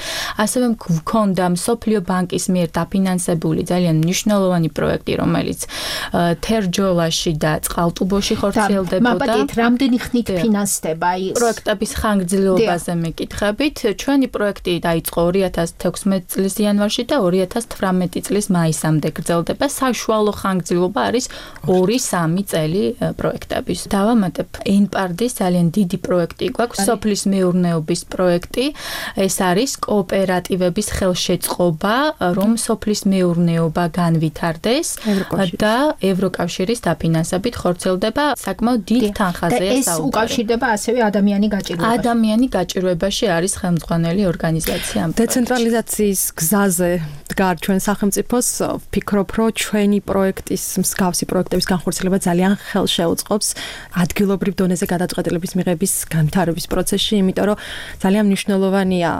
H: ასევე გვქონდა მსოფლიო ბანკის მიერ დაფინანსებული ძალიან მნიშვნელოვანი პროექტი, რომელიც თერჯოლაში და წყალტუბოში ხორციელდებოდა.
G: რამდენი ხნით ფინანსდება აი
H: პროექტების ხანგრძლივობაზე მეკითხებით. ჩვენი პროექტი დაიწყო ორი ათას თექვსმეტი წლის იანვარში და ორი ათას თვრამეტი წლის მაისამდე გრძელდება. საშუალო ხანგრძლივობა არის ორი სამი წელი პროექტების. დავამატებ ენპარდის ძალიან დიდი პროექტი გვაქვს, სოფლის მეურნეობის პროექტი. ეს არის კოოპერატივების ხელშეწყობა, რომ სოფლის მეურნეობა განვითარდეს და ევროკავშირის დაფინანსებით ხორციელდება საკმაოდ დიდ თანხაზეა
G: ეს უკავშირდება ასევე ადამიანი გაჭირვებაში.
H: ადამიანი გაჭირვებაში არის ხელმძღვანელი ორგანიზაცია.
J: დეცენტრალიზაციის გზაზე დგარ ჩვენ სახელმწიფოს, ვფიქრობ, რომ ჩვენი პროექტის მსგავსი პროექტების განხორციელება ძალიან ხელშეუწყობს ადგილობრივ დონეზე გადაწყვეტილების მიღების განვითარების პროცესში, იმიტომ რომ ძალიან მნიშვნელოვანია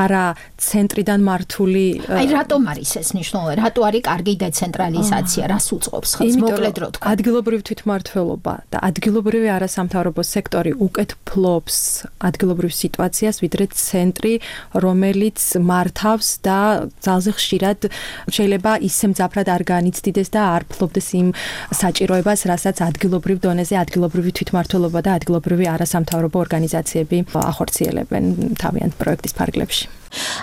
J: არა ცენტრიდან მართული.
G: აი რატომ არის ეს მნიშვნელოვანი? რატო არის კარგი დეცენტრალიზაცია? რას უწყობს ხელს? მოკლედ რო თქვა.
J: ადგილობრივ თვითმმართველობა და ადგილობრივი არასამთავრობო სექტორი უკეთ ფლობს ადგილობრივ სიტუაციას, ვიდრე ცენტრი, რომელიც მართავს და ძალზე ხშირად შეიძლება ისე მძაფრად არ განიცდიდეს და არ ფლობდეს იმ საჭიროებას, რასაც ადგილობრივ დონეზე ადგილობრივი თვითმმართველობა და ადგილობრივი არასამთავრობო ორგანიზაციები ახორციელებენ თავიანთ პროექტის ფარგლებში.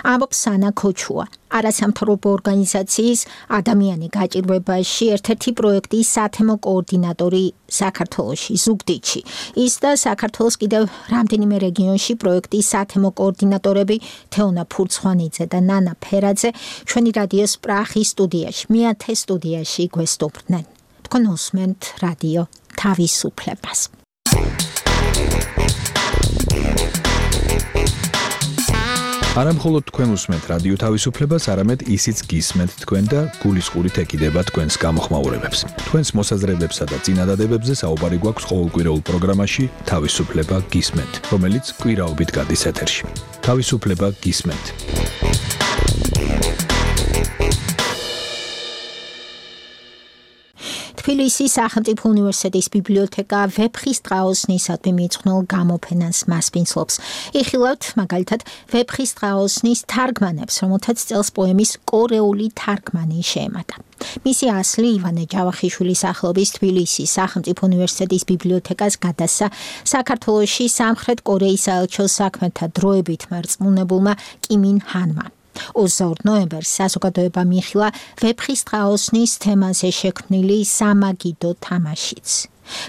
G: ამბობს სანა ქოჩუა, არასამთავრობო ორგანიზაციის ადამიანი გაჭირვებაში ერთ-ერთი პროექტის სათემო კოორდინატორი საქართველოში, ზუგდიდში. ის და საქართველოს კიდევ რამდენიმე რეგიონში პროექტის სათემო კოორდინატორები თეონა ფურცხვანიძე და ნანა ფერაძე ჩვენი რადიოს პრახის სტუდიაში, მეათე სტუდიაში გვესტუმრდნენ. თქვენ უსმენთ რადიო თავისუფლებას.
F: არა მხოლოდ თქვენ უსმენთ რადიო თავისუფლებას, არამედ ისიც გისმენთ თქვენ და გულისყურით ეკიდება თქვენს გამოხმაურებებს. თქვენს მოსაზრებებსა და წინადადებებზე საუბარი გვაქვს ყოველკვირეულ პროგრამაში თავისუფლება გისმენთ, რომელიც კვირაობით გადის ეთერში. თავისუფლება გისმენთ.
G: თბილისის სახელმწიფო უნივერსიტეტის ბიბლიოთეკა ვეფხის ტყაოსნისადმი მიძღვნილ გამოფენას მასპინძლობს. იხილავთ მაგალითად ვეფხის ტყაოსნის თარგმანებს, რომელთაც წელს პოემის კორეული თარგმანი შეემატა. მისი ასლი ივანე ჯავახიშვილის სახელობის თბილისის სახელმწიფო უნივერსიტეტის ბიბლიოთეკას გადასცა საქართველოში სამხრეთ კორეის საელჩოს საქმეთა დროებით მერწმუნებულმა კიმინ ჰანმა. ოცდაორ ნოემბერს საზოგადოება მიიხილა ვეფხის ტყაოსნის თემაზე შექმნილი სამაგიდო თამაშიც.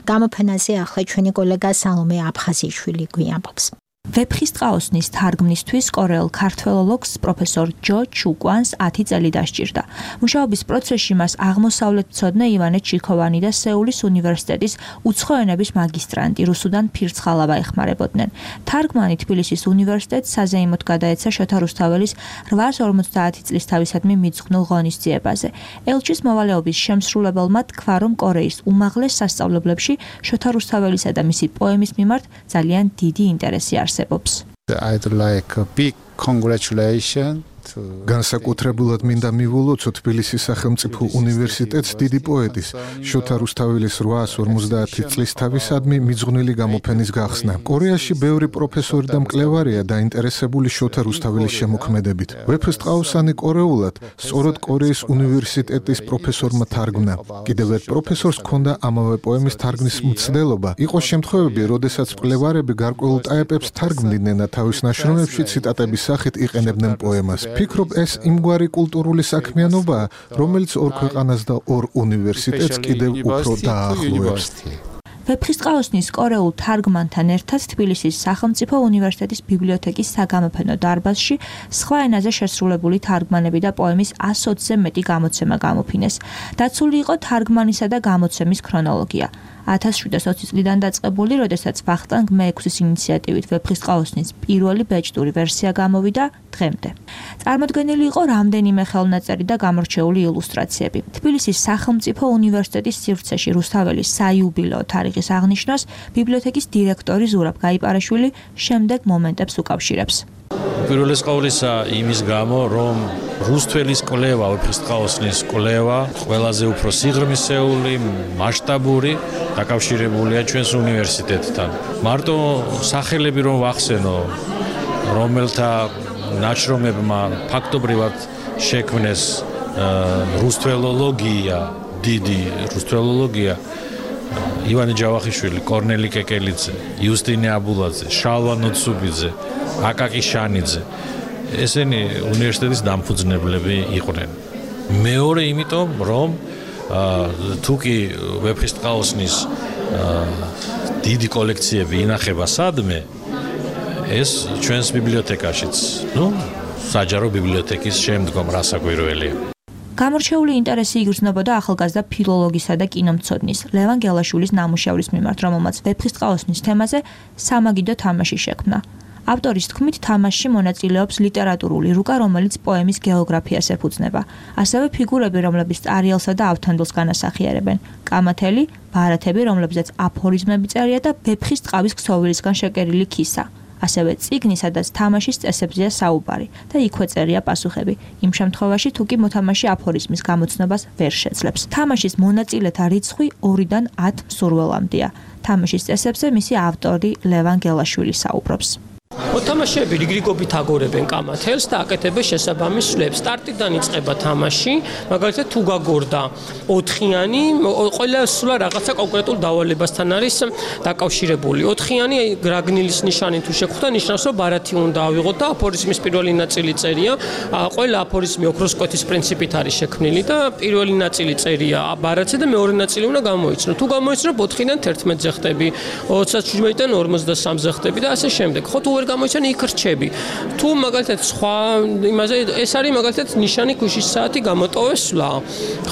G: გამოფენაზე ახლა ჩვენი კოლეგა სალომე აფხაზიშვილი გვიამბობს.
N: ვეფხისტყაოსნის თარგმნისთვის კორეულ ქართველოლოგს პროფესორ ჯო ჩუკვანს ათი წელი დასჭირდა. მუშაობის პროცესში მას აღმოსავლეთმცოდნე ივანე ჩიქოვანი და სეულის უნივერსიტეტის უცხო ენების მაგისტრანტი რუსუდან ფირცხალავა ეხმარებოდნენ. თარგმანი თბილისის უნივერსიტეტს საზეიმოდ გადაეცა შოთა რუსთაველის რვაას ორმოცდაათი წლის თავისადმი მიძღვნილ ღონისძიებაზე. ელჩის მოვალეობის შემსრულებელმა თქვა, რომ კორეის უმაღლეს სასწავლებლებში შოთა რუსთაველისა და მისი პოემის მიმართ ძალიან დიდი ინტერესი არსებობს.
K: I'd like a big congratulations.
L: განსაკუთრებულად მინდა მივულოცო თბილისის სახელმწიფო უნივერსიტეტს დიდი პოეტის შოთა რუსთაველის რვაას ორმოცდაათი წლის თავისადმი მიძღვნილი გამოფენის გახსნა. კორეაში ბევრი პროფესორი და მკვლევარია დაინტერესებული შოთა რუსთაველის შემოქმედებით. ვეფხისტყაოსანი კორეულად სწორედ კორეის უნივერსიტეტის პროფესორმა თარგმნა. კიდევ ერთ პროფესორს ჰქონდა ამავე პოემის თარგმნის მცდელობა. იყო შემთხვევები, როდესაც მკვლევარები გარკვეულ ტაეპებს თარგმნიდნენ და თავის ნაშრომებში ციტატების სახით იყენებდნენ პოემას. ფიქრობ, ეს იმგვარი კულტურული საქმიანობაა, რომელიც ორ ქვეყანას და ორ უნივერსიტეტს კიდევ უფრო დაახლოებს.
N: ვეფხისტყაოსნის კორეულ თარგმანთან ერთად თბილისის სახელმწიფო უნივერსიტეტის ბიბლიოთეკის საგამოფენო დარბაზში სხვა ენაზე შესრულებული თარგმანები და პოემის ასოცზე მეტი გამოცემა გამოფინეს. დაცული იყო თარგმანისა და გამოცემის ქრონოლოგია. ათას შვიდას ოცი წლიდან დაწყებული, როდესაც ვახტანგ მეექვსის ინიციატივით ვეფხისტყაოსნის პირველი ბეჭდური ვერსია გამოვიდა დღემდე. წარმოდგენილი იყო რამდენიმე ხელნაწერი და გამორჩეული ილუსტრაციები. თბილისის სახელმწიფო უნივერსიტეტის სივრცეში რუსთაველის საიუბილეო თარიღის აღნიშვნას ბიბლიოთეკის დირექტორი ზურაბ გაიპარაშვილი შემდეგ მომენტებს უკავშირებს.
O: პირველი ყოვლისა იმის გამო, რომ რუსთველის კვლევა, ვეფხისტყაოსნის კვლევა ყველაზე უფრო სიღრმისეული, მასშტაბური დაკავშირებულია ჩვენს უნივერსიტეტთან. მარტო სახელები რომ ვახსენო, რომელთა ნაშრომებმა ფაქტობრივად შექმნეს რუსთველოლოგია, დიდი რუსთველოლოგია, ივანე ჯავახიშვილი, კორნელი კეკელიძე, იუსტინე აბულაძე, შალვა ნოცუბიძე, აკაკი შანიძე. ესენი უნივერსიტეტის დამფუძნებლები იყვნენ. მეორე იმიტომ, რომ თუკი ვეფხისტყაოსნის დიდი კოლექციები ინახება სადმე, ეს ჩვენს ბიბლიოთეკაშიც, ну, საჯარო ბიბლიოთეკის შემდგომ რასაკვირველია.
N: გამორჩეული ინტერესი იგრძნობოდა ახალგაზრდა ფილოლოგისა და კინომცოდნის ლევან გელაშვილის ნამუშევრის მიმართ, რომელმაც ვეფხისტყაოსნის თემაზე სამაგიდო თამაში შექმნა. ავტორის თქმით, თამაშში მონაწილეობს ლიტერატურული რუკა, რომელიც პოემის გეოგრაფიას ეფუძნება. ასევე ფიგურები, რომლებიც წარიელსა და ავთანდილს განასახიერებენ. კამათელი, ბარათები, რომლებზეც აფორიზმები წერია და ვეფხის ტყავის ქსოვილისგან შეკერილი ქისა. ასევე წიგნი, სადაც თამაშის წესებზეა საუბარი და იქვე წერია პასუხები. იმ შემთხვევაში, თუ კი მოთამაშე აფორიზმის გამოცნობას ვერ შეძლებს. თამაშის მონაწილეთა რიცხვი ორიდან ათ მსურველამდეა. თამაშის წესებზე მისი ავტორი ლევან გელაშვილი საუბრობს.
P: მოთამაშეები რიგრიგობით აგორებენ კამათელს და აკეთებენ შესაბამის სვლებს. სტარტიდან იწყება თამაში, მაგალითად თუ გაგორდა ოთხიანი, ყველა სვლა რაღაცა კონკრეტულ დავალებასთან არის დაკავშირებული. ოთხიანი გრაგნილის ნიშანი თუ შეგხვდა, ნიშნავს, რომ ბარათი უნდა ავიღოთ და აფორიზმის პირველი ნაწილი წერია. ყველა აფორიზმი ოქროს კვეთის პრინციპით არის შექმნილი და პირველი ნაწილი წერია ბარათზე და მეორე ნაწილი უნდა გამოიცნო. თუ გამოიცნო, ოთხიდან თერთმეტზე ხდები, ოცდაშვიდიდან ორმოცდასამზე ხდები და ასე შემდეგ. ხო თუ ვერ გამოიცანი იქ რჩები. თუ მაგალითად სხვა იმაზე ეს არის მაგალითად ნიშანი ქუშის საათი გამოტოვეს სვლა.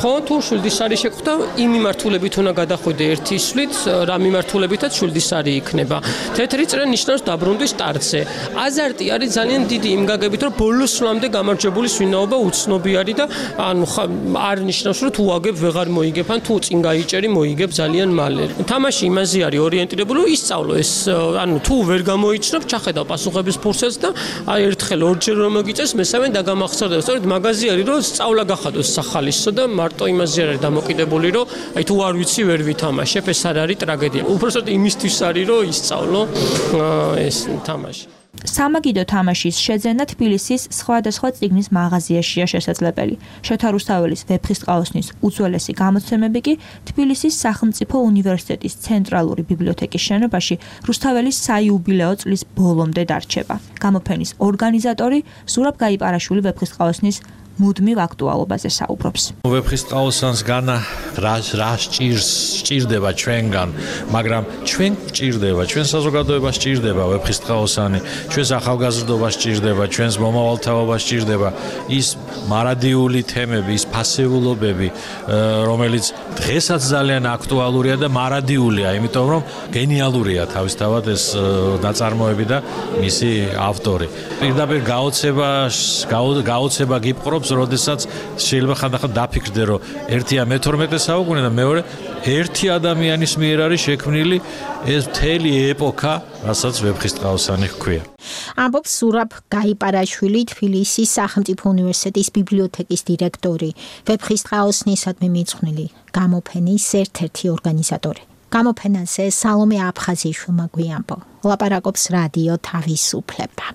P: ხო თუ შვილდისარი შეხვდა, იმ მიმართულებით უნდა გადახვიდე ერთი სვლით, რა მიმართულებითაც შვილდისარი იქნება. თეთრი წრე ნიშნავს დაბრუნვის სტარტზე. აზარტი არის ძალიან დიდი იმ გაგებით, რომ ბოლოს სვლამდე გამარჯვებული სვინაობა უცნობი არის და ანუ არ ნიშნავს, რომ თუ აგებ ვეღარ მოიგებ, ან თუ წინ გაიჭერი მოიგებ ძალიან მალე. თამაში იმაზე არის ორიენტირებული, რომ ისწავლო ეს, ანუ თუ ვერ გამოიჩნევ, ჩახედავ პასუხების ფურცელს და აი ერთხელ ორჯერ რომ მოგიწევს, მესამე დაგამახსოვრდებ. სწორედ მაგაზი არის, რომ სწავლა გახადოს სახალისო და მარტო იმაზე არის დამოკიდებული, რომ აი თუ არ ვიცი ვერ ვითამაშებ, ეს არ არის ტრაგედია. უბრალოდ იმისთვის არის, რომ ისწავლო ეს თამაში.
N: სამაგიდო თამაშის შეძენა თბილისის სხვადასხვა წიგნის მაღაზიაშია შესაძლებელი. შოთა რუსთაველის ვეფხისტყაოსნის უძველესი გამოცემები კი თბილისის სახელმწიფო უნივერსიტეტის ცენტრალური ბიბლიოთეკის შენობაში რუსთაველის საიუბილეო წლის ბოლომდე დარჩება. გამოფენის ორგანიზატორი ზურაბ გაიპარაშვილი ვეფხისტყაოსნის მუდმივ აქტუალობაზე საუბრობს.
O: ვეფხისტყაოსანს განა რა რა სჭირს სჭირდება ჩვენგან, მაგრამ ჩვენ სჭირდება, ჩვენ საზოგადოებას სჭირდება ვეფხისტყაოსანი, ჩვენს ახალგაზრდობას სჭირდება, ჩვენს მომავალთაობას სჭირდება ის მარადიული თემები, ის ფასეულობები, რომელიც დღესაც ძალიან აქტუალურია და მარადიულია, იმიტომ რომ გენიალურია თავისთავად ეს ნაწარმოები და მისი ავტორი. პირდაპირ გაოცება გაოცება გიპყრობს, როდესაც შეიძლება ხანდახან დაფიქრდე, რომ ერთია მეთორმეტე საუკუნე და მეორე ერთი ადამიანის მიერ არის შექმნილი ეს მთელი ეპოქა, რასაც ვეფხისტყაოსანი ჰქვია.
G: ამბობს სურაბ გაიპარაშვილი, თბილისის სახელმწიფო უნივერსიტეტის ბიბლიოთეკის დირექტორი, ვეფხისტყაოსნისადმი მიძღვნილი გამოფენის ერთ-ერთი ორგანიზატორი. გამოფენაზე სალომე აფხაზიშვილმა გვიამბო. ლაპარაკობს რადიო თავისუფლება.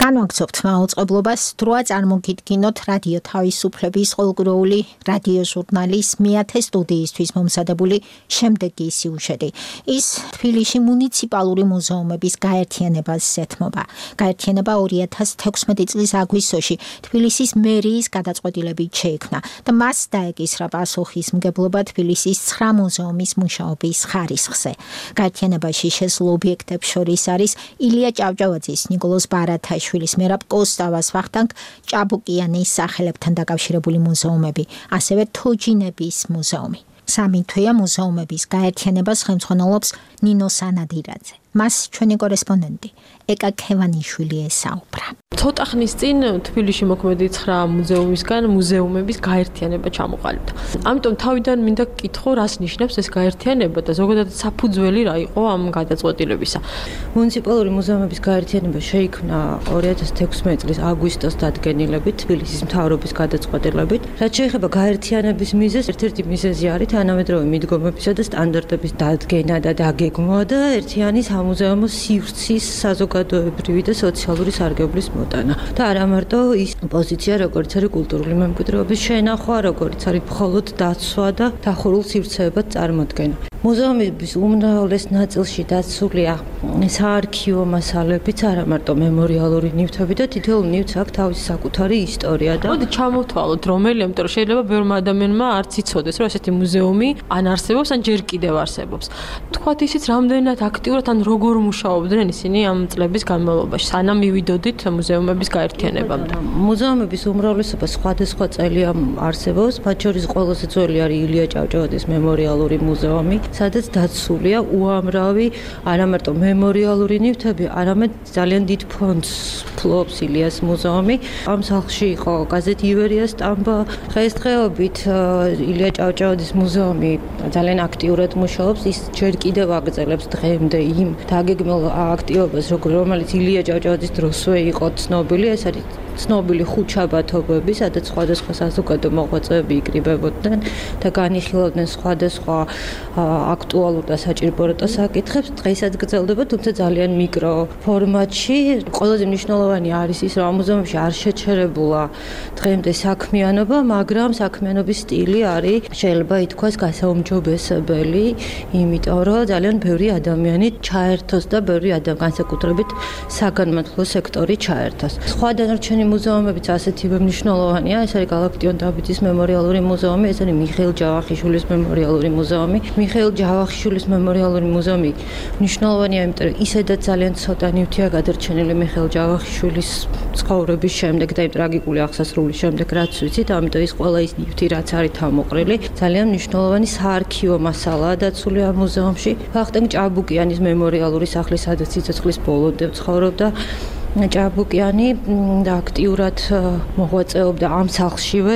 G: განვაგრძობთ მაუწყებლობას, დროა წარმოგიდგინოთ რადიო თავისუფლების ყოველკვირეული რადიო ჟურნალის მეათე სტუდიისთვის მომზადებული შემდეგი სიუჟეტი. ის თბილისში მუნიციპალური მუზეუმების გაერთიანებას ეთმობა. გაერთიანება ორი ათას თექვსმეტი წლის აგვისტოში თბილისის მერიის გადაწყვეტილებით შეიქმნა და მას დაეკისრა პასუხისმგებლობა თბილისის ცხრა მუზეუმის მუშაობის ხარისხზე. გაერთიანებაში შესულ ობიექტებს შორის არის ილია ჭავჭავაძის, ნიკოლოზ ბარათაშვილის, მერაბ კოსტავას, ვახტანგ ჭაბუკიანის სახელებთან დაკავშირებული მუზეუმები, ასევე თოჯინების მუზეუმი. სამი თვეა მუზეუმების გაერთიანებას ხელმძღვანელობს ნინო სანადირაძე. მას ჩვენი კორესპონდენტი ეკა ქევანიშვილი ესაუბრა.
Q: ცოტა ხნის წინ თბილისში მოქმედი ცხრა მუზეუმისგან მუზეუმების გაერთიანება ჩამოყალიბდა. ამიტომ თავიდან მინდა გკითხო, რას ნიშნავს ეს გაერთიანება და ზოგადად საფუძველი რა იყო ამ გადაწყვეტილებისა.
M: მუნიციპალური მუზეუმების გაერთიანება შეიქმნა ორი ათას თექვსმეტი წლის აგვისტოს დადგენილებით თბილისის მთავრობის გადაწყვეტილებით. რაც შეეხება გაერთიანების მიზეზს, ერთ-ერთი მიზეზი არის თანამედროვე მიდგომებისა და სტანდარტების დადგენა და დაგეგმვა და ერთიანი სამუზეუმო სივრცის საზოგადოებრივი და სოციალური სარგებლის მოტანა. და არა მარტო ის პოზიცია, როგორც არის კულტურული მემკვიდრეობის შენახვა, როგორც არის მხოლოდ დაცვა და დახურულ სივრცეებად წარმოდგენა. მუზეუმების უმრავლეს ნაწილში დაცულია საარქივო მასალებიც, არა მარტო მემორიალური ნივთები და თითოეულ ნივთს აქვს თავისი საკუთარი ისტორია და
Q: მოდი ჩამოვთვალოთ რომელი, ამიტომ რომ შეიძლება ბევრმა ადამიანმა არც იცოდეს, რომ ესეთი მუზეუმი ან არსებობს, ან ჯერ კიდევ არსებობს. თქვათ ისიც რამდენად აქტიურად ან როგორ მუშაობდნენ ისინი ამ წლების განმავლობაში, სანამ მივიდოდით მუზეუმების გაერთიანებამდე.
M: მუზეუმების უმრავლესობა სხვადასხვა წელია არსებობს, მათ შორის ყველაზე ძველი არის ილია ჭავჭავაძის მემორიალური მუზეუმი. სადაც დაცულია უამრავი არამარტო მემორიალური ნივთები, არამედ ძალიან დიდ ფონდს ფლობს ილიას მუზეუმი. ამ სახლში იყო გაზეთი ივერია სტამბა. დღესდღეობით ილია ჭავჭავაძის მუზეუმი ძალიან აქტიურად მუშაობს. ის ჯერ კიდევ აგრძელებს დღემდე იმ დაგეგმილ აქტივობას, რომელიც ილია ჭავჭავაძის დროსვე იყო ცნობილი. ეს არის ცნობილი ხუთშაბათობები, სადაც სხვადასხვა საზოგადო მოღვაწეები იკრიბებოდნენ და განიხილავდნენ სხვადასხვა აქტუალურ და საჭიროებათა საკითხებს. დღესაც გრძელდება, თუმცა ძალიან მიკრო ფორმატში. ყველაზე მნიშვნელოვანი არის ის, რომ ამ მუზეუმში არ შეჩერებულა დღემდე საქმიანობა, მაგრამ საქმიანობის სტილი არის შეიძლება ითქვას გასაუმჯობესებელი, იმიტომ რომ ძალიან ბევრი ადამიანი ჩაერთოს და ბევრი ადამიანი განსაკუთრებით საგანმანათლებლო სექტორი ჩაერთოს. სხვა დანარჩენი მუზეუმებიც ასეთივე მნიშვნელოვანია. ეს არის გალაქტიონ დავითის მემორიალური მუზეუმი, ეს არის მიხეილ ჯავახიშვილის მემორიალური მუზეუმი. მიხეილ ჯავახიშვილის მემორიალური მუზეუმი მნიშვნელოვანია, იმიტომ რომ ისედაც ძალიან ცოტა ნივთია გადარჩენილი მიხეილ ჯავახიშვილის ცხოვრების შემდეგ და იმ ტრაგიკული აღსასრულის შემდეგ, რაც ვიცით, ამიტომ ის ყველა ის ნივთი, რაც არის თავმოყრილი, ძალიან მნიშვნელოვანი საარქივო მასალაა დაცული ამ მუზეუმში. ვახტანგ ჭაბუკიანის მემორიალური სახლი, სადაც სიცოცხლის ბოლომდე ცხოვრობდა. ჭაბუკიანი და აქტიურად მოღვაწეობდა ამ სახლშივე,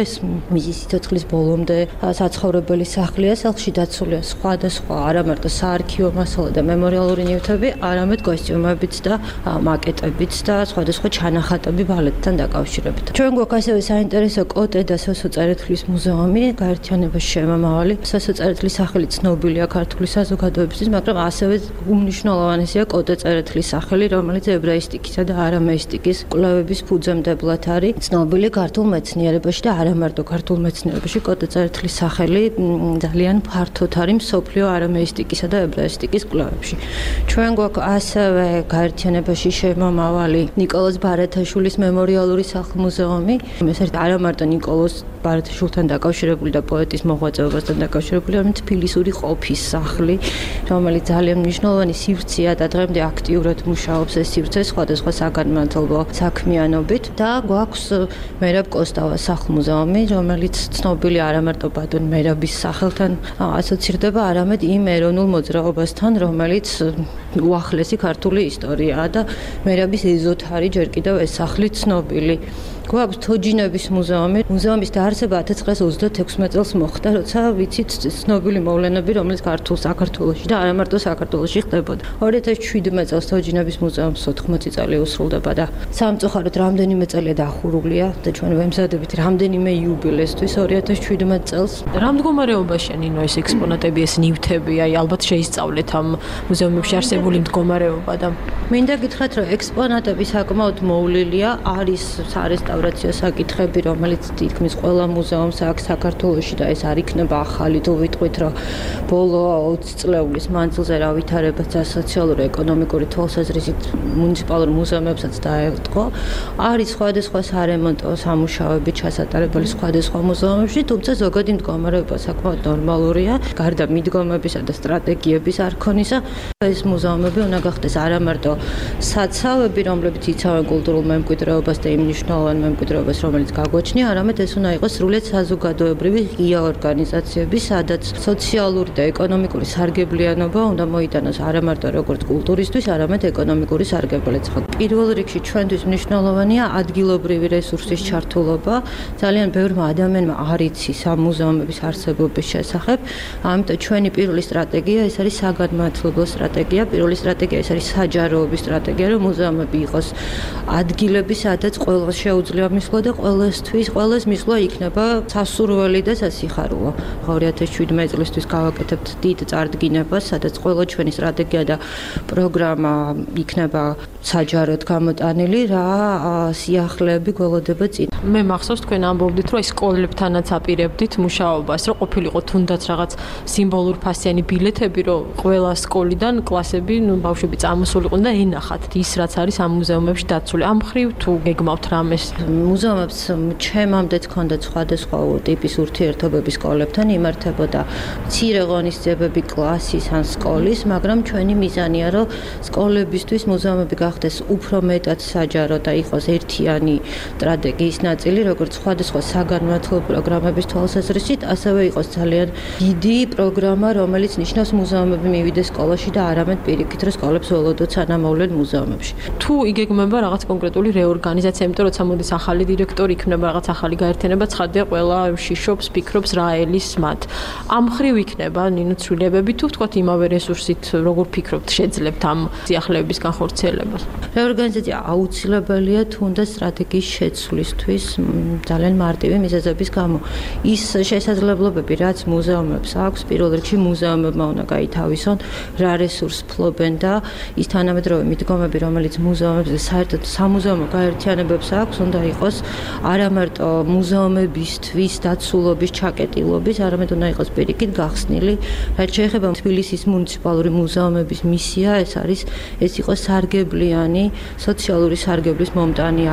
M: მისი სიცოცხლის ბოლომდე საცხოვრებელი სახლია. სახლში დაცულია სხვადასხვა არამარტო საარქივო მასალა და მემორიალური ნივთები, არამედ კოსტიუმებიც და მაკეტებიც და სხვადასხვა ჩანახატები ბალეტთან დაკავშირებით. ჩვენ გვაქვს ასევე საინტერესო კოტე და სოსო წერეთლის მუზეუმი, გაერთიანებაში შემომავალი. სოსო წერეთლის სახელი ცნობილია ქართული საზოგადოებისთვის, მაგრამ ასევე უმნიშვნელოვანესია კოტე წერეთლის სახელი, რომელიც ებრაისტიკისა და არამეისტიკის კვლევების ფუძემდებლად არის ცნობილი ქართულ მეცნიერებაში და არამარტო ქართულ მეცნიერებაში. კოტე წერეთლის სახელი ძალიან ფართოდ არის მსოფლიო არამეისტიკისა და ებრაისტიკის კვლევებში. ჩვენ გვაქვს ასევე გაერთიანებაში შემომავალი ნიკოლოზ ბარათაშვილის მემორიალური სახლ-მუზეუმი. ეს არის არამარტო ნიკოლოზ ბარათაშვილთან დაკავშირებული და პოეტის მოღვაწეობასთან დაკავშირებული, არამედ თბილისური ყოფის სახლი, რომელიც ძალიან მნიშვნელოვანი სივრცეა და დღემდე აქტიურად მუშაობს ეს სივრცე სხვადასხვა საგანმანათლებლო საქმიანობით. და გვაქვს მერაბ კოსტავას სახლ-მუზეუმი, რომელიც ცნობილი არამარტო ბატონ მერაბის სახელთან ასოცირდება, არამედ იმ ეროვნულ მოძრაობასთან, რომელიც უახლესი ქართული ისტორიაა და მერაბის ეზოთ არის ჯერ კიდევ ეს სახლი ცნობილი. გვაქვს თოჯინების მუზეუმი. მუზეუმის დაარსება ათას ცხრაას ოცდაექვსმეტ წელს მოხდა, როცა ვიცით ცნობილი მოვლენები, რომელიც ქართულ საქართველოში და არამარტო საქართველოში ხდებოდა. ორი ათას შვიდმეტ წელს თოჯინების მუზეუმს ოთხმოცი წელი უსრულდება და სამწუხაროდ რამდენიმე წელია დახურულია და ჩვენ ვემზადებით რამდენიმე იუბილესთვის ორი ათას შვიდმეტ წელს.
Q: რა მდგომარეობაშია ნინო ეს ექსპონატები, ეს ნივთები? აი ალბათ შეისწავლეთ ამ მუზეუმებში არსებული მდგომარეობა და
M: მინდა გითხრათ, რომ ექსპონატები საკმაოდ მოვლილია, არის სარესტავრაციო საკითხები, რომელიც თითქმის ყველა მუზეუმს აქვს საქართველოში და ეს არ იქნება ახალი, თუ ვიტყვით, რომ ბოლო ოცი წლეულის მანძილზე რა ვითარებაც სოციალური ეკონომიკური თვალსაზრისით მუნიციპალურ მუზეუმებსაც დაეწყო. არის სხვადასხვა სარემონტო სამუშაოები ჩასატარებელი სხვადასხვა მუზეუმებში, თუმცა ზოგადი მდგომარეობა საკმაოდ ნორმალურია, გარდა მიდგომებისა და სტრატეგიების არქონისა. ეს მუზეუმები უნდა გახდეს არამარტო საცავები, რომლებიც იცავენ კულტურულ მემკვიდრეობას და იმ მნიშვნელოვან მემკვიდრეობას, რომელიც გაგვაჩნია, არამედ ეს უნდა იყოს სრულიად საზოგადოებრივი ღია ორგანიზაციები, სადაც სოციალური და ეკონომიკური სარგებლიანობა უნდა მოიტანოს არამარტო როგორც კულტურისთვის, არამედ ეკონომიკური სარგებლიც. პირველ რიგში ჩვენთვის მნიშვნელოვანია ადგილობრივი რესურსის ჩართულობა. ძალიან ბევრმა ადამიანმა არ იცის ამ მუზეუმების არსებობის შესახებ, ამიტომ ჩვენი პირველი სტრატეგია ეს არის საგანმანათლებლო სტრატეგია. პირველი სტრატეგია ეს არის საჯაროების სტრატეგია, რომ მუზეუმები იყოს ადგილები, სადაც ყველას შეუძლია მისვლა და ყველასთვის, ყველას მისვლა იქნება სასურველი და სასიხარულო. ორი ათას შვიდმეტ წლისთვის გავაკეთებთ დიდ წარდგინებას, სადაც ყველა ჩვენი სტრატეგია და პროგრამა იქნება საჯაროდ გამოტანილი, რა სიახლეები გველოდება წინ.
Q: მე მახსოვს თქვენ ამბობდით, რომ სკოლებთანაც აპირებდით მუშაობას, რომ ყოფილიყო თუნდაც რაღაც სიმბოლურ ფასიანი ბილეთები, რომ ყველა სკოლიდან კლასები ბავშვები, ნუ ბავშვები წამოსულიყვნენ და ენახათ ის რაც არის ამ მუზეუმებში დაცული. ამ ხრივ თუ გეგმავთ რამეს?
M: მუზეუმებს ჩემამდეც ჰქონდა სხვადასხვა ტიპის ურთიერთობები სკოლებთან, იმართებოდა მცირე ღონისძიებები კლასის ან სკოლის, მაგრამ ჩვენი მიზანია, რომ სკოლებისთვის მუზეუმები გახდეს უფრო მეტად საჯარო და იყოს ერთიანი სტრატეგიის ნაწილი, როგორც სხვადასხვა საგანმანათლებლო პროგრამების თვალსაზრისით, ასევე იყოს ძალიან დიდი პროგრამა, რომელიც ნიშნავს მუზეუმები მივიდეს სკოლაში და არამედ პირიქით, რომ სკოლებს ველოდოთ სანამ მოვლენ მუზეუმებში.
Q: თუ იგეგმება რაღაც კონკრეტული რეორგანიზაცია, იმიტომ რომ მოდის ახალი დირექტორი, იქნება რაღაც ახალი გაერთიანება, ცხადია ყველა შიშობს, ფიქრობს რა ელის მათ. ამ ხრივ იქნება ნინო ცვლილებები თუ ვთქვათ იმავე რესურსით, როგორ ფიქრობთ, შეძლებთ ამ სიახლეების განხორციელებას?
M: რეორგანიზაცია აუცილებელია თუნდაც სტრატეგიის შეცვლისთვის ძალიან მარტივი მიზეზების გამო. ის შესაძლებლობები, რაც მუზეუმებს აქვს, პირველ რიგში მუზეუმებმა უნდა გაითავისონ, რა რესურს ფლობენ და ის თანამედროვე მიდგომები, რომელიც მუზეუმებს და საერთოდ სამუზეუმო გაერთიანებებს აქვს, უნდა იყოს არა მარტო მუზეუმებისთვის დაცულობის ჩაკეტილობის, არამედ უნდა იყოს პირიქით გახსნილი. რაც შეეხება თბილისის მუნიციპალური მუზეუმების მისია, ეს არის ეს იყოს სარგებლიანი, სოციალური სარგებლის მომტანი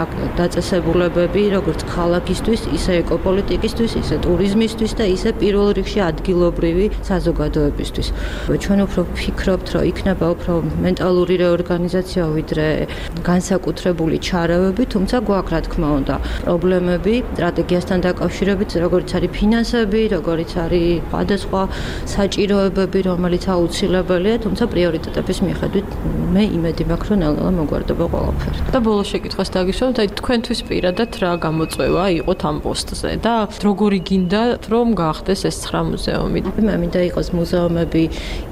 M: დაწესებულებები, როგორც ქალაქისთვის, ისე ეკოპოლიტიკისთვის, ისე ტურიზმისთვის და ისე პირველ რიგში ადგილობრივი საზოგადოებისთვის. ჩვენ უფრო ვფიქრობთ, რომ იქნება უფრო მენტალური რეორგანიზაცია, ვიდრე განსაკუთრებული ჩარავები, თუმცა გვაქვს რა თქმა უნდა პრობლემები სტრატეგიასთან დაკავშირებით, როგორც არის ფინანსები, როგორც არის სხვადასხვა საჭიროებები, რომელიც აუცილებელია, თუმცა პრიორიტეტების მიხედვით მე იმედი მაქვს, რომ ნელ-ნელა მოგვარდება ყველაფერი.
Q: და ბოლოს შეკითხვას დაგისვამთ, აი თქვენთვის პირადად რა გამოწვევა იყოთ ამ პოსტზე და როგორი გინდათ, რომ გაახდეს ეს ცხრა მუზეუმი?
M: მე მინდა იყოს მუზეუმები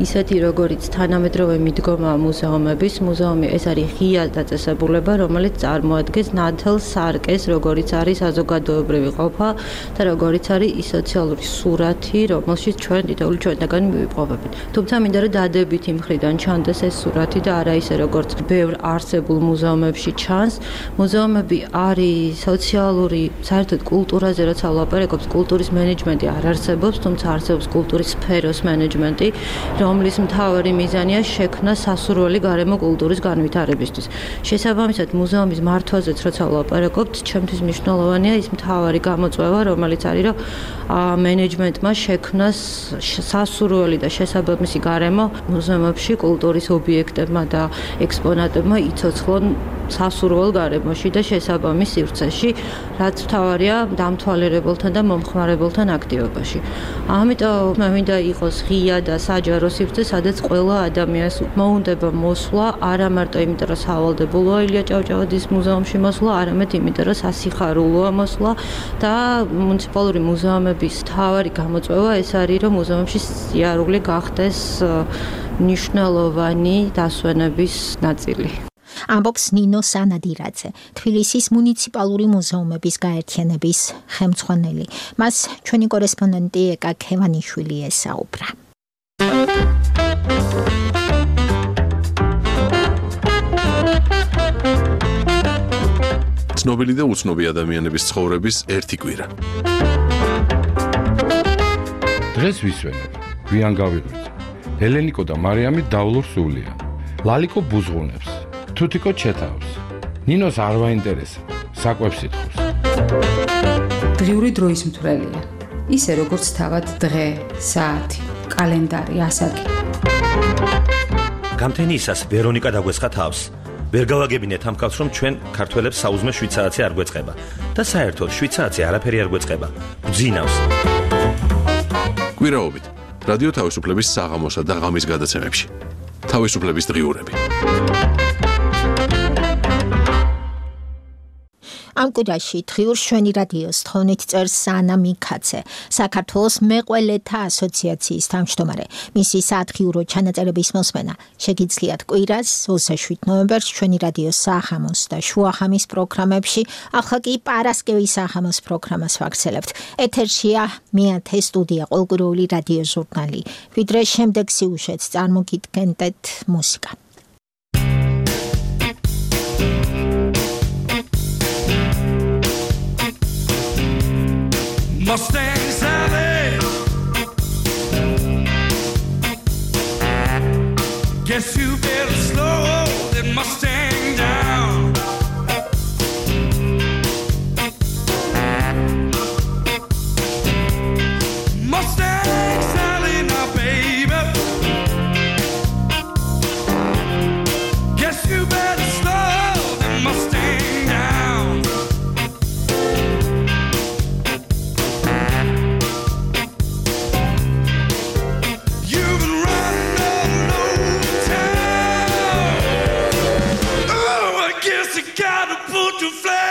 M: ისეთი, როგორიც თანამედროვე მიდგომაა მუზეუმების. მუზეუმი ეს არის ღია დაწესებულება, რომელიც წარმოადგენს ნათელ სარკეს, როგორიც არის საზოგადოებრივი ყოფა და როგორიც არის ის სოციალური სურათი, რომელშიც ჩვენ დიდებული ჩვენთაგანი მივიპოვებით. თუმცა მინდა რომ დადებით იმ მხრიდან ჩანდეს ეს სურათი და არა ისე როგორც ბევრ არსებულ მუზეუმებში ჩანს. მუზეუმები არის სოციალური, საერთოდ კულტურაზე როცა ვლაპარაკობთ, კულტურის მენეჯმენტი არ არსებობს, თუმცა არსებობს კულტურის სფეროს მენეჯმენტი, რომლის მთავარი მიზანია შექმნა სასურველი გარემო კულტურის განვითარებისთვის. შესაბამისად, მუზეუმის მართვაზეც როცა ვლაპარაკობთ, ჩემთვის მნიშვნელოვანია ის მთავარი გამოწვევა, რომელიც არის, რომ მენეჯმენტმა შექმნას სასურველი და შესაბამისი გარემო მუზეუმებში კულტურის ობიექტებმა და ექსპონატებმა იცოცხლონ სასურველ გარემოში და შესაბამის სივრცეში, რაც მთავარია დამთვალიერებელთან და მომხმარებელთან აქტივობაში. ამიტომ მე მინდა იყოს ღია და საჯარო სივრცე, სადაც ყველა ადამიანს მოუნდება მოსვლა, არა მარტო იმიტომ, რომ სავალდებულოა ილია ჭავჭავაძის მუზეუმში მოსვლა, არამედ იმიტომ, რომ სასიხარულოა მოსვლა და მუნიციპალური მუზეუმების მთავარი გამოწვევა ეს არის, რომ მუზეუმში სიარული გახდეს მნიშვნელოვანი დასვენების ნაწილი.
G: ამბობს ნინო სანადირაძე, თბილისის მუნიციპალური მუზეუმების გაერთიანების ხელმძღვანელი. მას ჩვენი კორესპონდენტი ეკა ქევანიშვილი ესაუბრა.
A: ცნობილი და უცნობი ადამიანების ცხოვრების ერთი კვირა.
R: დღეს ვისვენებ, გვიან გავიღვიძე. ელენიკო და მარიამი დავლურ სულიან. ლალიკო ბუზღუნებს. თუთიკო ჩეთავს. ნინოს არ ვაინტერესებს, საკვებს ითხოვს.
S: დღიური დროის მთვრელია. ისე როგორც თავად დღე, საათი, კალენდარი, ასაკი.
T: გამთენიისას ვერონიკა დაგვესხა თავს. ვერ გავაგებინეთ ამ კაცს, რომ ჩვენ ქართველებს საუზმე შვიდ საათზე არ გვეწყება და საერთოდ შვიდ საათზე არაფერი არ გვეწყება. გძინავს.
A: კვირაობით რადიო თავისუფლების საღამოსა და ღამის გადაცემებში. თავისუფლების დღიურები.
G: ამ კვირაში დღიურ შვენი რადიოს თხოვნით წერს სანა მიქაცე, საქართველოს მეყველეთა ასოციაციის თავმჯდომარე. მისი საათღიურო ჩანაწერების მოსმენა შეგიძლიათ კვირას ოცდაშვიდ ნოემბერს ჩვენი რადიოს საღამოს და შუახამის პროგრამებში, ახლა კი პარასკევის საღამოს პროგრამას ვაგრძელებთ. ეთერშია მეათე სტუდია ყოველკვირეული რადიო ჟურნალი. ვიდრე შემდეგ სიუჟეტს წარმოგიდგენთ მუსიკა.
U: Mustangs Alley. Guess you better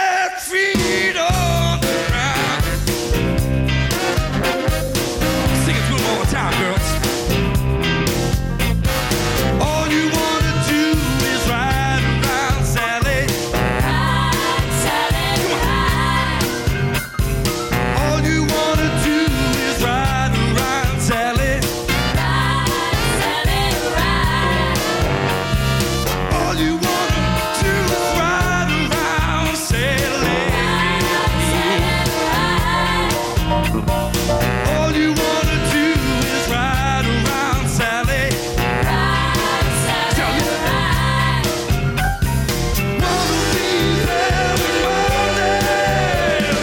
U: set feet on the ground. Sing it one more time, girls. All you wanna do is ride around, Sally. Ride, Sally, ride. All you wanna do is ride around, Sally. Ride, Sally, ride. All you wanna do is ride around, Sally. Ride, Sally, ride. All you wanna do is ride around, Sally. Ride, Sally, ride. Wanna be every morning.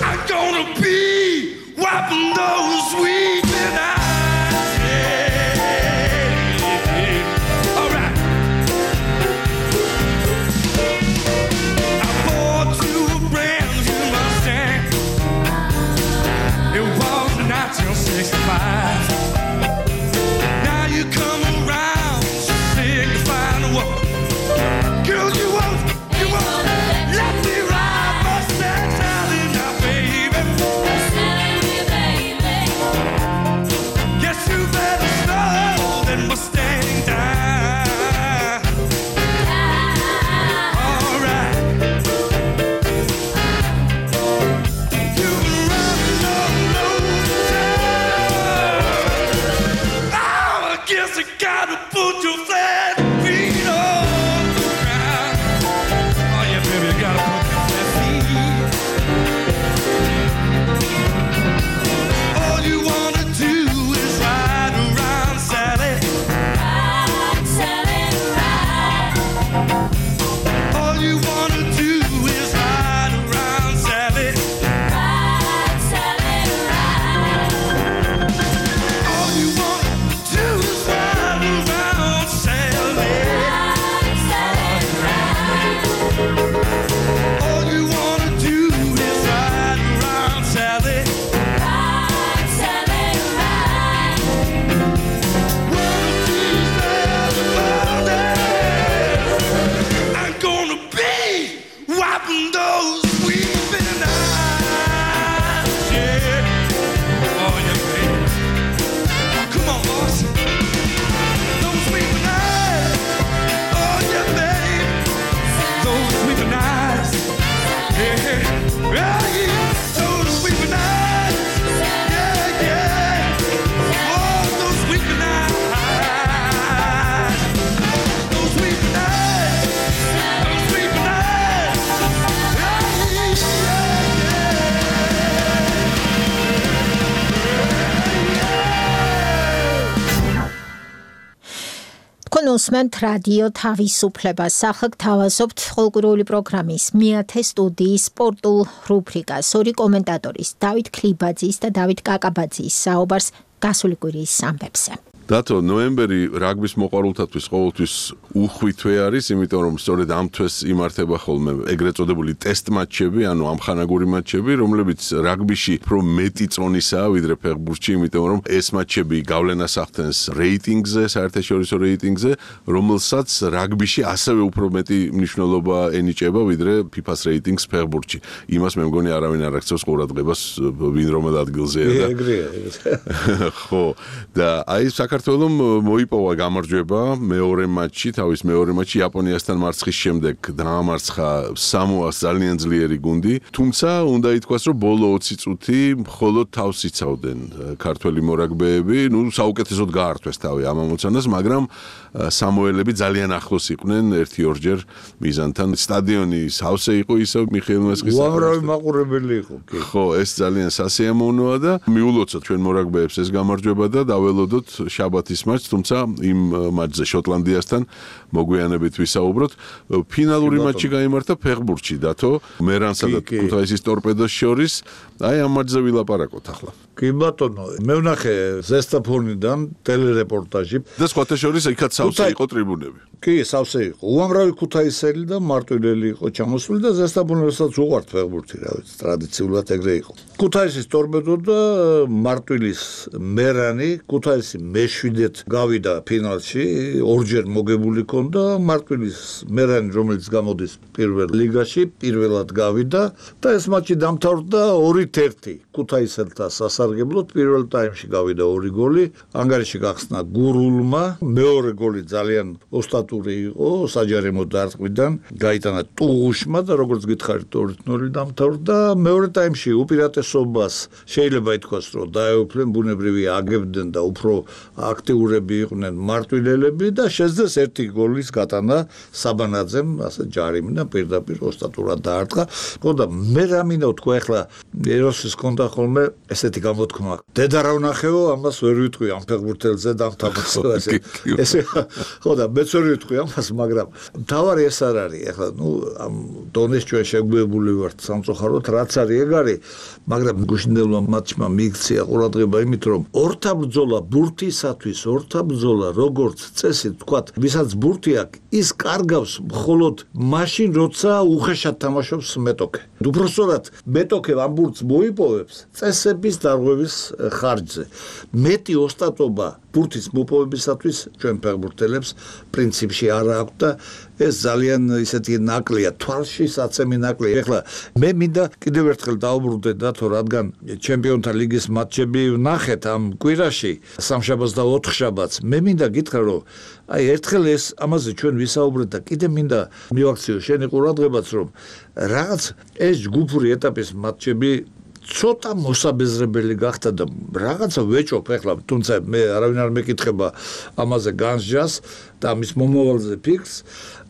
U: I'm gonna be wiping those weeping eyes. Yeah. All right. I bought you a brand new Mustang. It was nineteen sixty-five. Now you come around signifying what? Girl, you won't, you won't let me ride Mustang Sally now, baby. Guess you better slow that Mustang down. All right. You've been running all over town. Oh, I guess I gotta put your flat feet on the ground. Oh yeah, baby, you gotta put your flat feet. All you wanna do is ride around, Sally. Ride, Sally, ride. All you wanna do is ride around, Sally. Ride, Sally, ride. All you wanna do is ride around, Sally. Ride, Sally, ride. All you wanna do is ride around, Sally. Ride, Sally, ride. One of these every morning, I'm gonna be wiping those weeping eyes. Yeah. Oh yeah, baby. Come on, boss. Those weeping eyes. Oh yeah, baby. Those weeping eyes. Yeah. Yeah, yeah. Those weeping eyes. Yeah, yeah. Oh, those weeping eyes. Those weeping eyes. Those weeping eyes.
G: თქვენ უსმენთ რადიო თავისუფლებას. ახლა გთავაზობთ ყოველკვირეული პროგრამის მეათე სტუდიის სპორტულ რუბრიკას. ორი კომენტატორის დავით ქლიბაძის და დავით კაკაბაძის საუბარს გასული კვირის ამბებზე.
A: დათო, ნოემბერი რაგბის მოყვარულთათვის ყოველთვის უხვი თვე არის, იმიტომ რომ სწორედ ამ თვეს იმართება ხოლმე ეგრეთ წოდებული ტესტ მატჩები, ანუ ამხანაგური მატჩები, რომლებიც რაგბიში უფრო მეტი წონისაა ვიდრე ფეხბურთში, იმიტომ რომ ეს მატჩები გავლენას ახდენს რეიტინგზე, საერთაშორისო რეიტინგზე, რომელსაც რაგბიში ასევე უფრო მეტი მნიშვნელობა ენიჭება ვიდრე ფიფას რეიტინგს ფეხბურთში. იმას მე მგონი არავინ არ აქცევს ყურადღებას, ვინ რომელ ადგილზეა და
C: ეგრეა.
A: ხო, და აი საქართველოს მოიპოვა გამარჯვება მეორე მატჩი, თავის მეორე მატჩი იაპონიასთან მარცხის შემდეგ დაამარცხა სამოას ძალიან ძლიერი გუნდი, თუმცა უნდა ითქვას, რომ ბოლო ოცი წუთი მხოლოდ თავს იცავდნენ ქართველი მორაგბეები, ნუ საუკეთესოდ გაართვეს თავი ამ ამოცანას, მაგრამ სამოელები ძალიან ახლოს იყვნენ ერთი ორჯერ მიზანთან. სტადიონი სავსე იყო ისევ მიხეილ მესხის.
C: უამრავი მაყურებელი იყო, კი.
A: ხო, ეს ძალიან სასიამოვნოა და მიულოცოთ ჩვენ მორაგბეებს ეს გამარჯვება და დაველოდოთ შაბათის მატჩს, თუმცა იმ მატჩზე შოტლანდიასთან მოგვიანებით ვისაუბროთ. ფინალური მატჩი გაიმართა ფეხბურთში, დათო, მერანსა და ქუთაისის ტორპედოს შორის. აი ამ მატჩზე ვილაპარაკოთ ახლა.
C: კი ბატონო, მე ვნახე ზესტაფონიდან ტელერეპორტაჟი
A: და სხვათა შორის იქაც სავსე იყო ტრიბუნები.
C: კი, სავსე იყო. უამრავი ქუთაისელი და მარტვილელი იყო ჩამოსული და ზესტაფონებსაც უყვართ ფეხბურთი, რა ვიცი, ტრადიციულად ეგრე იყო. ქუთაისის ტორპედო და მარტვილის მერანი, ქუთაისი მეშვიდეთ გავიდა ფინალში, ორჯერ მოგებული ქონდა, მარტვილის მერანი რომელიც გამოდის პირველ ლიგაში, პირველად გავიდა და ეს მატჩი დამთავრდა ორით ერთი ქუთაისელთა სასარგებლოდ, პირველ ტაიმში გავიდა ორი გოლი, ანგარიში გახსნა გურულმა, მეორე გოლი ძალიან ოსტატური იყო, საჯარიმო დარტყმიდან, გაიტანა ტუღუშმა და როგორც გითხარით ორით ნული დამთავრდა, მეორე ტაიმში უპირატესობას შეიძლება ითქვას, რომ დაეუფლნენ, ბუნებრივია აგებდნენ და უფრო აქტიურები იყვნენ მარტვილელები და შეძლეს ერთი გოლის გატანა საბანაძემ, ასე ჯარიმი და პირდაპირ ოსტატურად დაარტყა. ხო და მე რა მინდა თქვა ახლა ეროსის კონდა ხოლმე ესეთი გამოთქმა. დედა რა ვნახეო, ამას ვერ ვიტყვი ამ ფეხბურთელზე დამთავრდა ესე. ესე ხო და მეც ვერ ვიტყვი ამას, მაგრამ თავარი ეს არ არის. ახლა ნუ ამ დონეს ჩვენ შეგვებული ვართ სამწუხაროდ, რაც არის ეგ არის, მაგრამ გუშინდელმა მატჩმა მიიქცია ყურადღება იმით, რომ ორთაბრძოლა ბურთისათვის, ორთაბრძოლა როგორც წესი თქვათ, ვისაც ბურთი აქვს, ის კარგავს მხოლოდ მაშინ, როცა უხეშად თამაშობს მეტოქე. უბრალოდ მეტოქე ამ ბურთს მოიპოვებს წესების დარღვევის ხარჯზე. მეტი ოსტატობა ბურთის მოპოვებისათვის ჩვენ ფეხბურთელებს პრინციპში არ აქვს და ეს ძალიან ისეთი ნაკლია, თვალში საცემი ნაკლია. ეხლა მე მინდა კიდევ ერთხელ დავუბრუნდე დათო, რადგან ჩემპიონთა ლიგის მატჩები ვნახეთ ამ კვირაში, სამშაბათს და ოთხშაბათს. მე მინდა გითხრა, რომ აი ერთხელ ეს ამაზე ჩვენ ვისაუბრეთ და კიდე მინდა მივაქციო შენი ყურადღებაც, რომ რაღაც ეს ჯგუფური ეტაპის მატჩები ცოტა მოსაბეზრებელი გახდა და რაღაცა ვეჭობ ახლა, თუმცა მე არავინ არ მეკითხება ამაზე განსჯას და ამის მომავალზე ფიქრს.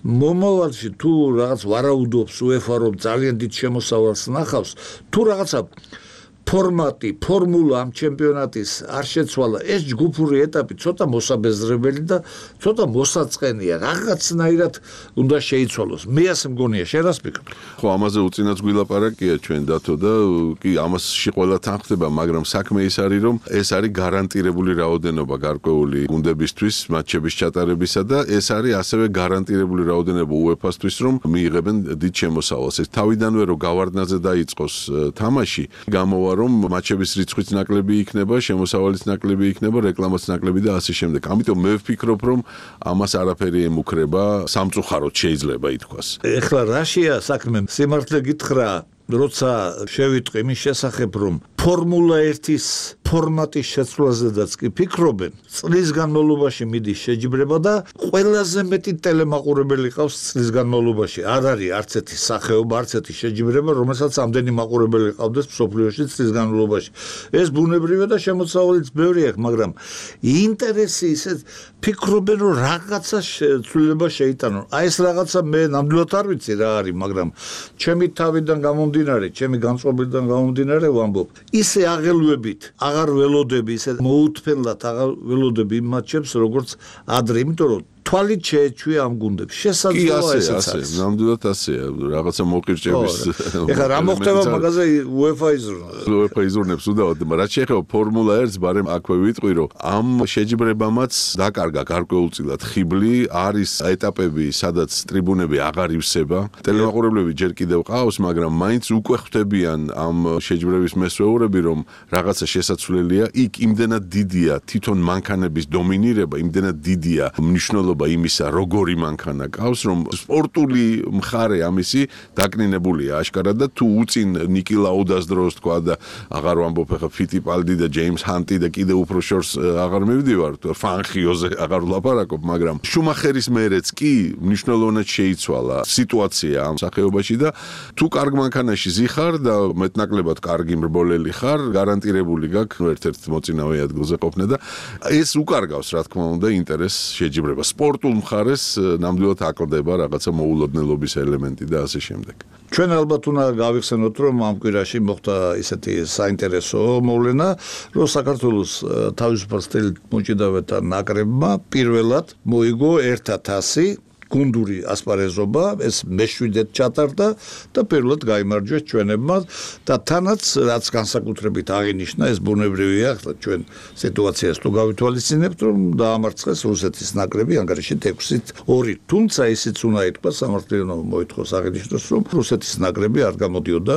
C: მომავალში თუ რაღაც ვარაუდობს უეფა, რომ ძალიან დიდ შემოსავალს ნახავს, თუ რაღაცა ფორმატი, ფორმულა ამ ჩემპიონატის არ შეცვალა, ეს ჯგუფური ეტაპი ცოტა მოსაბეზრებელი და ცოტა მოსაწყენია, რაღაცნაირად უნდა შეიცვალოს. მე ასე მგონია, შენ რას ფიქრობ?
A: ხო, ამაზე უწინაც გვილაპარაკია ჩვენ დათო და კი ამასში ყველა თანხდება, მაგრამ საქმე ის არის, რომ ეს არის გარანტირებული რაოდენობა გარკვეული გუნდებისთვის მატჩების ჩატარებისა და ეს არის ასევე გარანტირებული რაოდენობა უეფას-თვის, რომ მიიღებენ დიდ შემოსავალს. ეს თავიდანვე რომ გავარდნაზე დაიწყოს თამაში, გამოვა რომ მატჩების რიცხვიც ნაკლები იქნება, შემოსავალიც ნაკლები იქნება, რეკლამაც ნაკლები და ასე შემდეგ. ამიტომ მე ვფიქრობ, რომ ამას არაფერი ემუქრება, სამწუხაროდ შეიძლება ითქვას.
C: ეხლა რაშია საქმე? სიმართლე გითხრა, როცა შევიტყვი იმის შესახებ, რომ ფორმულა ერთის ფორმატის შეცვლაზედაც კი ფიქრობენ, წლის განმავლობაში მიდის შეჯიბრება და ყველაზე მეტი ტელემაყურებელი ყავს წლის განმავლობაში. არ არის არც ერთი სახეობა, არც ერთი შეჯიბრება, რომელსაც ამდენი მაყურებელი ყავდეს მსოფლიოში წლის განმავლობაში. ეს ბუნებრივია და შემოსავალიც ბევრი აქვს, მაგრამ ინტერესი ისე ფიქრობენ, რომ რაღაცა ცვლილება შეიტანონ. აი ეს რაღაცა მე ნამდვილად არ ვიცი რა არის, მაგრამ ჩემი თავიდან გამომდინარე, ჩემი განწყობილიდან გამომდინარე ვამბობ. ისე აღელვებით აღარ ველოდები, ისე მოუთფენლად აღარ ველოდები იმ მატჩებს, როგორც ადრე, იმიტომ რომ თვალით შეეჩვია ამ გუნდებს. შესაძლოა ესეც არის.
A: ნამდვილად ასეა, რაღაცა მოკირჭების.
C: ეხლა რა მოხდება მაგაზე უეფა იზრუნებს.
A: უეფა იზრუნებს უდავად, რაც შეეხება ფორმულა ერთს, ბარემ აქვე ვიტყვი, რომ ამ შეჯიბრებამაც დაკარგა გარკვეულწილად ხიბლი, არის ეტაპები, სადაც ტრიბუნები აღარ ივსება. ტელემაყურებლები ჯერ კიდევ ყავს, მაგრამ მაინც უკვე ხვდებიან ამ შეჯიბრების მესვეურები, რომ რაღაცა შესაძლებელია. იქ იმდენად დიდია თვითონ მანქანების დომინირება, იმდენად დიდია მნიშვნელობა იმისა, როგორი მანქანა ყავს, რომ სპორტული მხარე ამისი დაკნინებულია აშკარად და თუ უწინ ნიკი ლაუდას დროს თქვა და აღარ ვამბობ ახლა ფიტიპალდი და ჯეიმს ჰანტი და კიდე უფრო შორს აღარ მივდივარ, ფანხიოზე აღარ ვლაპარაკობ, მაგრამ შუმახერის მერეც კი მნიშვნელოვნად შეიცვალა სიტუაცია ამ სახეობაში და თუ კარგ მანქანაში ზიხარ და მეტნაკლებად კარგი მრბოლელი ხარ, გარანტირებული გაქვს ერთ-ერთ მოწინავე ადგილზე ყოფნა და ეს უკარგავს, რა თქმა უნდა, ინტერესს შეჯიბრება. სპორტულ მხარეს ნამდვილად აკლდება რაღაცა მოულოდნელობის ელემენტი და ასე შემდეგ.
C: ჩვენ ალბათ უნდა გავიხსენოთ, რომ ამ კვირაში მოხდა ისეთი საინტერესო მოვლენა, რომ საქართველოს თავისუფალ სტილით მოჭიდავეთა ნაკრებმა პირველად მოიგო ერთ ათასი გუნდური ასპარეზობა, ეს მეშვიდეთ ჩატარდა და პირველად გაიმარჯვეს ჩვენებმა და თანაც რაც განსაკუთრებით აღინიშნა, ეს ბუნებრივია, ჩვენ სიტუაციას თუ გავითვალისწინებთ, რომ დაამარცხეს რუსეთის ნაკრები ანგარიშით ექვსით ორი. თუმცა ისიც უნდა ითქვას, სამართლიანო მოითხოვს აღინიშნოს, რომ რუსეთის ნაკრები არ გამოდიოდა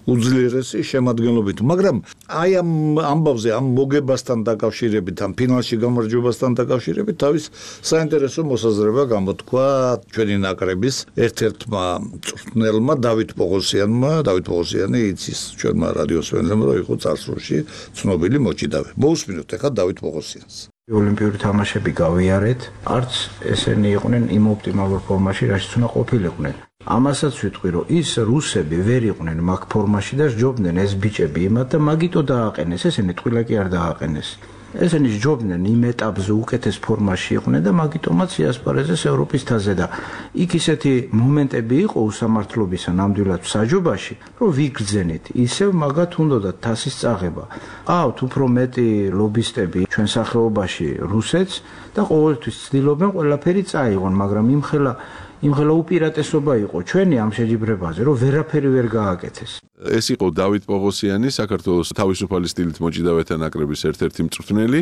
C: უძლიერესი შემადგენლობით, მაგრამ აი ამ ამბავზე, ამ მოგებასთან დაკავშირებით, ამ ფინალში გამარჯვებასთან დაკავშირებით თავის საინტერესო მოსაზრება გამოთქვა ჩვენი ნაკრების ერთ-ერთმა მწვრთნელმა დავით პოღოსიანმა. დავით პოღოსიანი იცის ჩვენმა რადიოსმენელებმა, რომ იყო წარსულში ცნობილი მოჭიდავე. მოусმინოთ ახლა დავით პოღოსიანს.
D: ოლიმპიური თამაშები გავიარეთ, არც ესენი იყვნენ იმ ოპტიმალურ ფორმაში, რაშიც უნდა ყოფილიყვნენ. ამასაც ვიტყვი, რომ ის რუსები ვერ იყვნენ მაგ ფორმაში და სჯობდნენ ეს ბიჭები იმათ და მაგიტო დააყენეს, ესენი ტყილა კი არ დააყენეს. ესენი სჯობდნენ იმ ეტაპზე უკეთეს ფორმაში იყვნენ და მაგიტომაც იასპარეზეს ევროპის თაზე და იქ ისეთი მომენტები იყო უსამართლობისა ნამდვილად საჯობაში, რომ ვიგრძენით, ისევ მაგათ უნდათ თასის წაღება. ყავთ უფრო მეტი ლობისტები ჩვენ სახეობაში რუსეთს და ყოველთვის ცდილობენ ყველაფერი წაიღონ, მაგრამ იმხელა იმხელა უპირატესობა იყო ჩვენი ამ შეჯიბრებაზე, რომ ვერაფერი ვერ გააკეთეს.
A: ეს იყო დავით პოღოსიანი, საქართველოს თავისუფალი სტილით მოჭიდავეთა ნაკრების ერთ-ერთი მწვრთნელი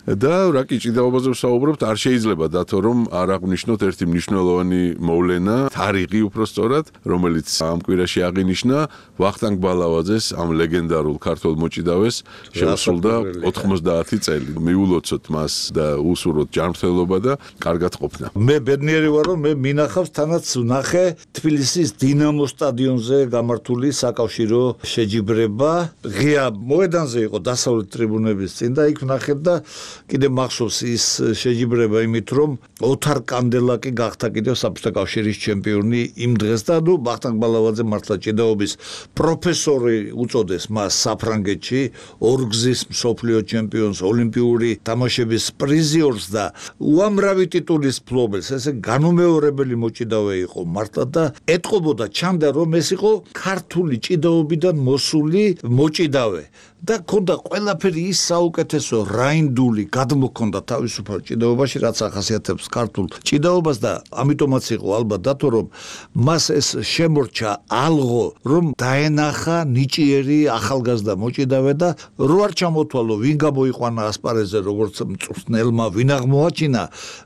A: და რა კი ჭიდაობაზე ვსაუბრობთ, არ შეიძლება დათო რომ არ აღვნიშნოთ ერთი მნიშვნელოვანი მოვლენა, თარიღი უпростоრად, რომელიც ამ კვირაში აღინიშნა ვახტანგ ბალავაძეს, ამ ლეგენდარულ ქართველ მოჭიდავეს შეუსრულდა ოთხმოცდაათი წელი. მიულოცოთ მას და უსურვოთ ჯანმრთელობა და კარგად ყოფნა.
C: მე ბედნიერი ვარ, რომ მე მინახავს თანაც ვნახე თბილისის დინამო სტადიონზე გამართული საკავშირო შეჯიბრება. ღია მოედანზე იყო დასავლეთ ტრიბუნების წინ და იქ ვნახე და კიდე მახსოვს ის შეჯიბრება იმით, რომ ოთარ კანდელაკი გახდა კიდევ საბჭოთა კავშირის ჩემპიონი იმ დღეს და ნუ ვახტანგ ბალავაძე მართლა ჭიდაობის პროფესორი უწოდეს მას საფრანგეთში, ორგზის მსოფლიო ჩემპიონს, ოლიმპიური თამაშების პრიზიორს და უამრავი ტიტულის მფლობელს. ესე განუმეორებელი მოჭიდავე იყო მართლა და ეტყობოდა, ჩანდა რომ ეს იყო ქართული ჭიდაობიდან მოსული მოჭიდავე. და ქონდა ყველაფერი ის საუკეთესო რაინდული გადმოქონდა თავისუფალ ჭიდაობაში, რაც ახასიათებს ქართულ ჭიდაობას და ამიტომაც იყო ალბათ დათო რომ მას ეს შემორჩა ალღო, რომ დაენახა ნიჭიერი ახალგაზრდა მოჭიდავე და რო არ ჩამოთვალო ვინ გამოიყვანა ასპარეზზე როგორც მწვრთნელმა, ვინ აღმოაჩინა,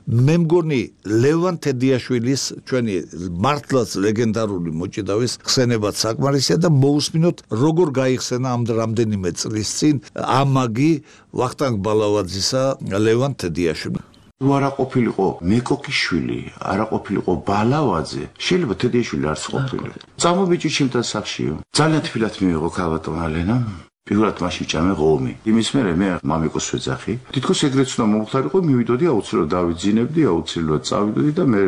C: მე მგონი ლევან თედიაშვილის ჩვენი მართლაც ლეგენდარული მოჭიდავის ხსენებაც საკმარისია და მოусმინოთ როგორ გაიხსენა ამ რამდენიმე წლის წინ ამაგი ვახტანგ ბალავაძისა ლევან თედიაშვილი.
V: თუ არა ყოფილიყო მეკოკიშვილი, არა ყოფილიყო ბალავაძე, შეიძლება თედიაშვილი არც ყოფილიყო. წამობიჭი ჩემთან სახშიო. ძალიან თბილად მიიღო ქალბატონმა ლენამ. პირველად მაშინ ჭამე ღომი. იმის მერე მე მამიკოს ვეძახი. თითქოს ეგრეც უნდა მომხდარიყო, მივიდოდი აუცილებლად დავიძინებდი, აუცილებლად წავიდოდი და მე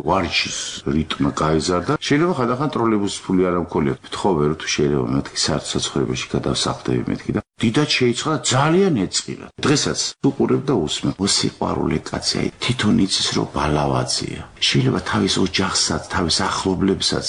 V: ვარჯიშის რიტმი გაიზარდა. შეიძლება ხანდახან ტროლეიბუსის ფული არ მქონია. ვთხოვე რომ თუ შეიძლება მეთქი საცხოვრებაში გადავსახდები მეთქი და დიდად შეიწყდა ძალიან ეწყილა. დღესაც უყურებ და უსმენ. მოსიყვარულე კაცი, აი თვითონ იცის რომ ბალავაძეა. შეიძლება თავის ოჯახსაც, თავის ახლობლებსაც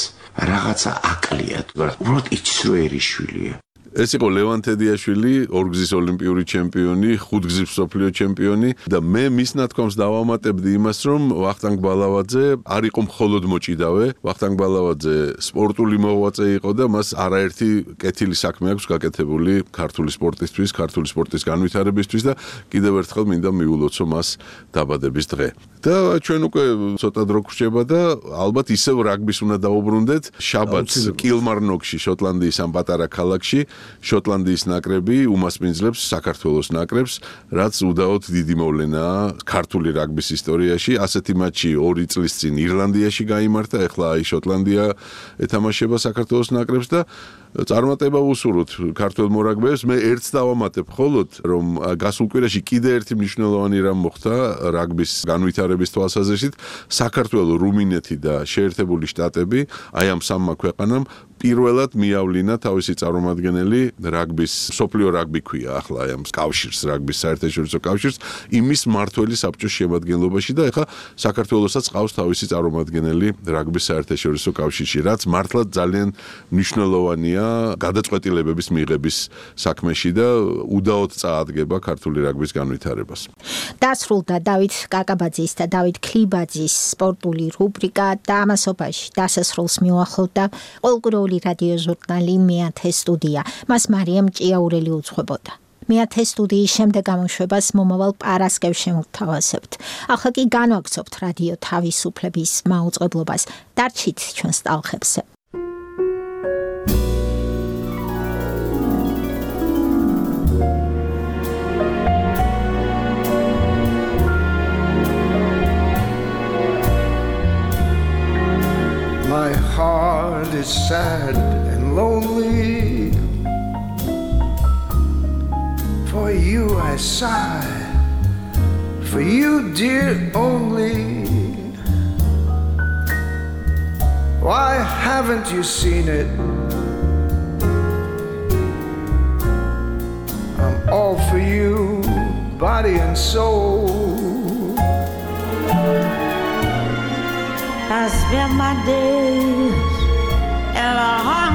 V: რაღაცა აკლია. უბრალოდ იცის რომერიშვილია.
A: ეს იყო ლევან თედიაშვილი, ორგზის ოლიმპიური ჩემპიონი, ხუთგზის მსოფლიო ჩემპიონი და მე მის ნათქვამს დავამატებდი იმას, რომ ვახტანგ ბალავაძე არ იყო მხოლოდ მოჭიდავე, ვახტანგ ბალავაძე სპორტული მოღვაწე იყო და მას არაერთი კეთილი საქმე აქვს გაკეთებული ქართული სპორტისთვის, ქართული სპორტის განვითარებისთვის და კიდევ ერთხელ მინდა მიულოცო მას დაბადების დღე. და ჩვენ უკვე ცოტა დრო გვრჩება და ალბათ ისევ რაგბის უნდა დაუბრუნდეთ. შაბათს კილმარნოკში, შოტლანდიის ამ პატარა ქალაქში შოტლანდიის ნაკრები უმასპინძლებს საქართველოს ნაკრებს, რაც უდაოდ დიდი მოვლენაა ქართული რაგბის ისტორიაში. ასეთი მატჩი ორი წლის წინ ირლანდიაში გაიმართა, ეხლა აი შოტლანდია ეთამაშება საქართველოს ნაკრებს და წარმატება ვუსურვოთ ქართველ მორაგბეებს. მე ერთს დავამატებ მხოლოდ, რომ გასულ კვირაში კიდე ერთი მნიშვნელოვანი რამ მოხდა რაგბის განვითარების თვალსაზრისით. საქართველო, რუმინეთი და შეერთებული შტატები, აი ამ სამმა ქვეყანამ პირველად მიავლინა თავისი წარმომადგენელი რაგბის, მსოფლიო რაგბი ქვია ახლა აი ამ კავშირს, რაგბის საერთაშორისო კავშირს, იმის მმართველი საბჭოს შემადგენლობაში და ეხლა საქართველოსაც ყავს თავისი წარმომადგენელი რაგბის საერთაშორისო კავშირში, რაც მართლაც ძალიან მნიშვნელოვანია გადაწყვეტილებების მიღების საქმეში და უდაოდ წაადგება ქართული რაგბის განვითარებას.
G: დასრულდა დავით კაკაბაძის და დავით ქლიბაძის სპორტული რუბრიკა და ამასობაში დასასრულს მიუახლოვდა ყოველკვირეული რადიო ჟურნალი მეათე სტუდია. მას მარიამ ჭიაურელი უძღვებოდა. მეათე სტუდიის შემდეგ გამოშვებას მომავალ პარასკევს შემოვთავაზებთ. ახლა კი განვაგრძობთ რადიო თავისუფლების მაუწყებლობას. დარჩით ჩვენს ტალღებზე.
B: sad and lonely. For you I sigh, for you, dear, only. Why haven't you seen it? I'm all for you, body and soul.
E: I spend my days in a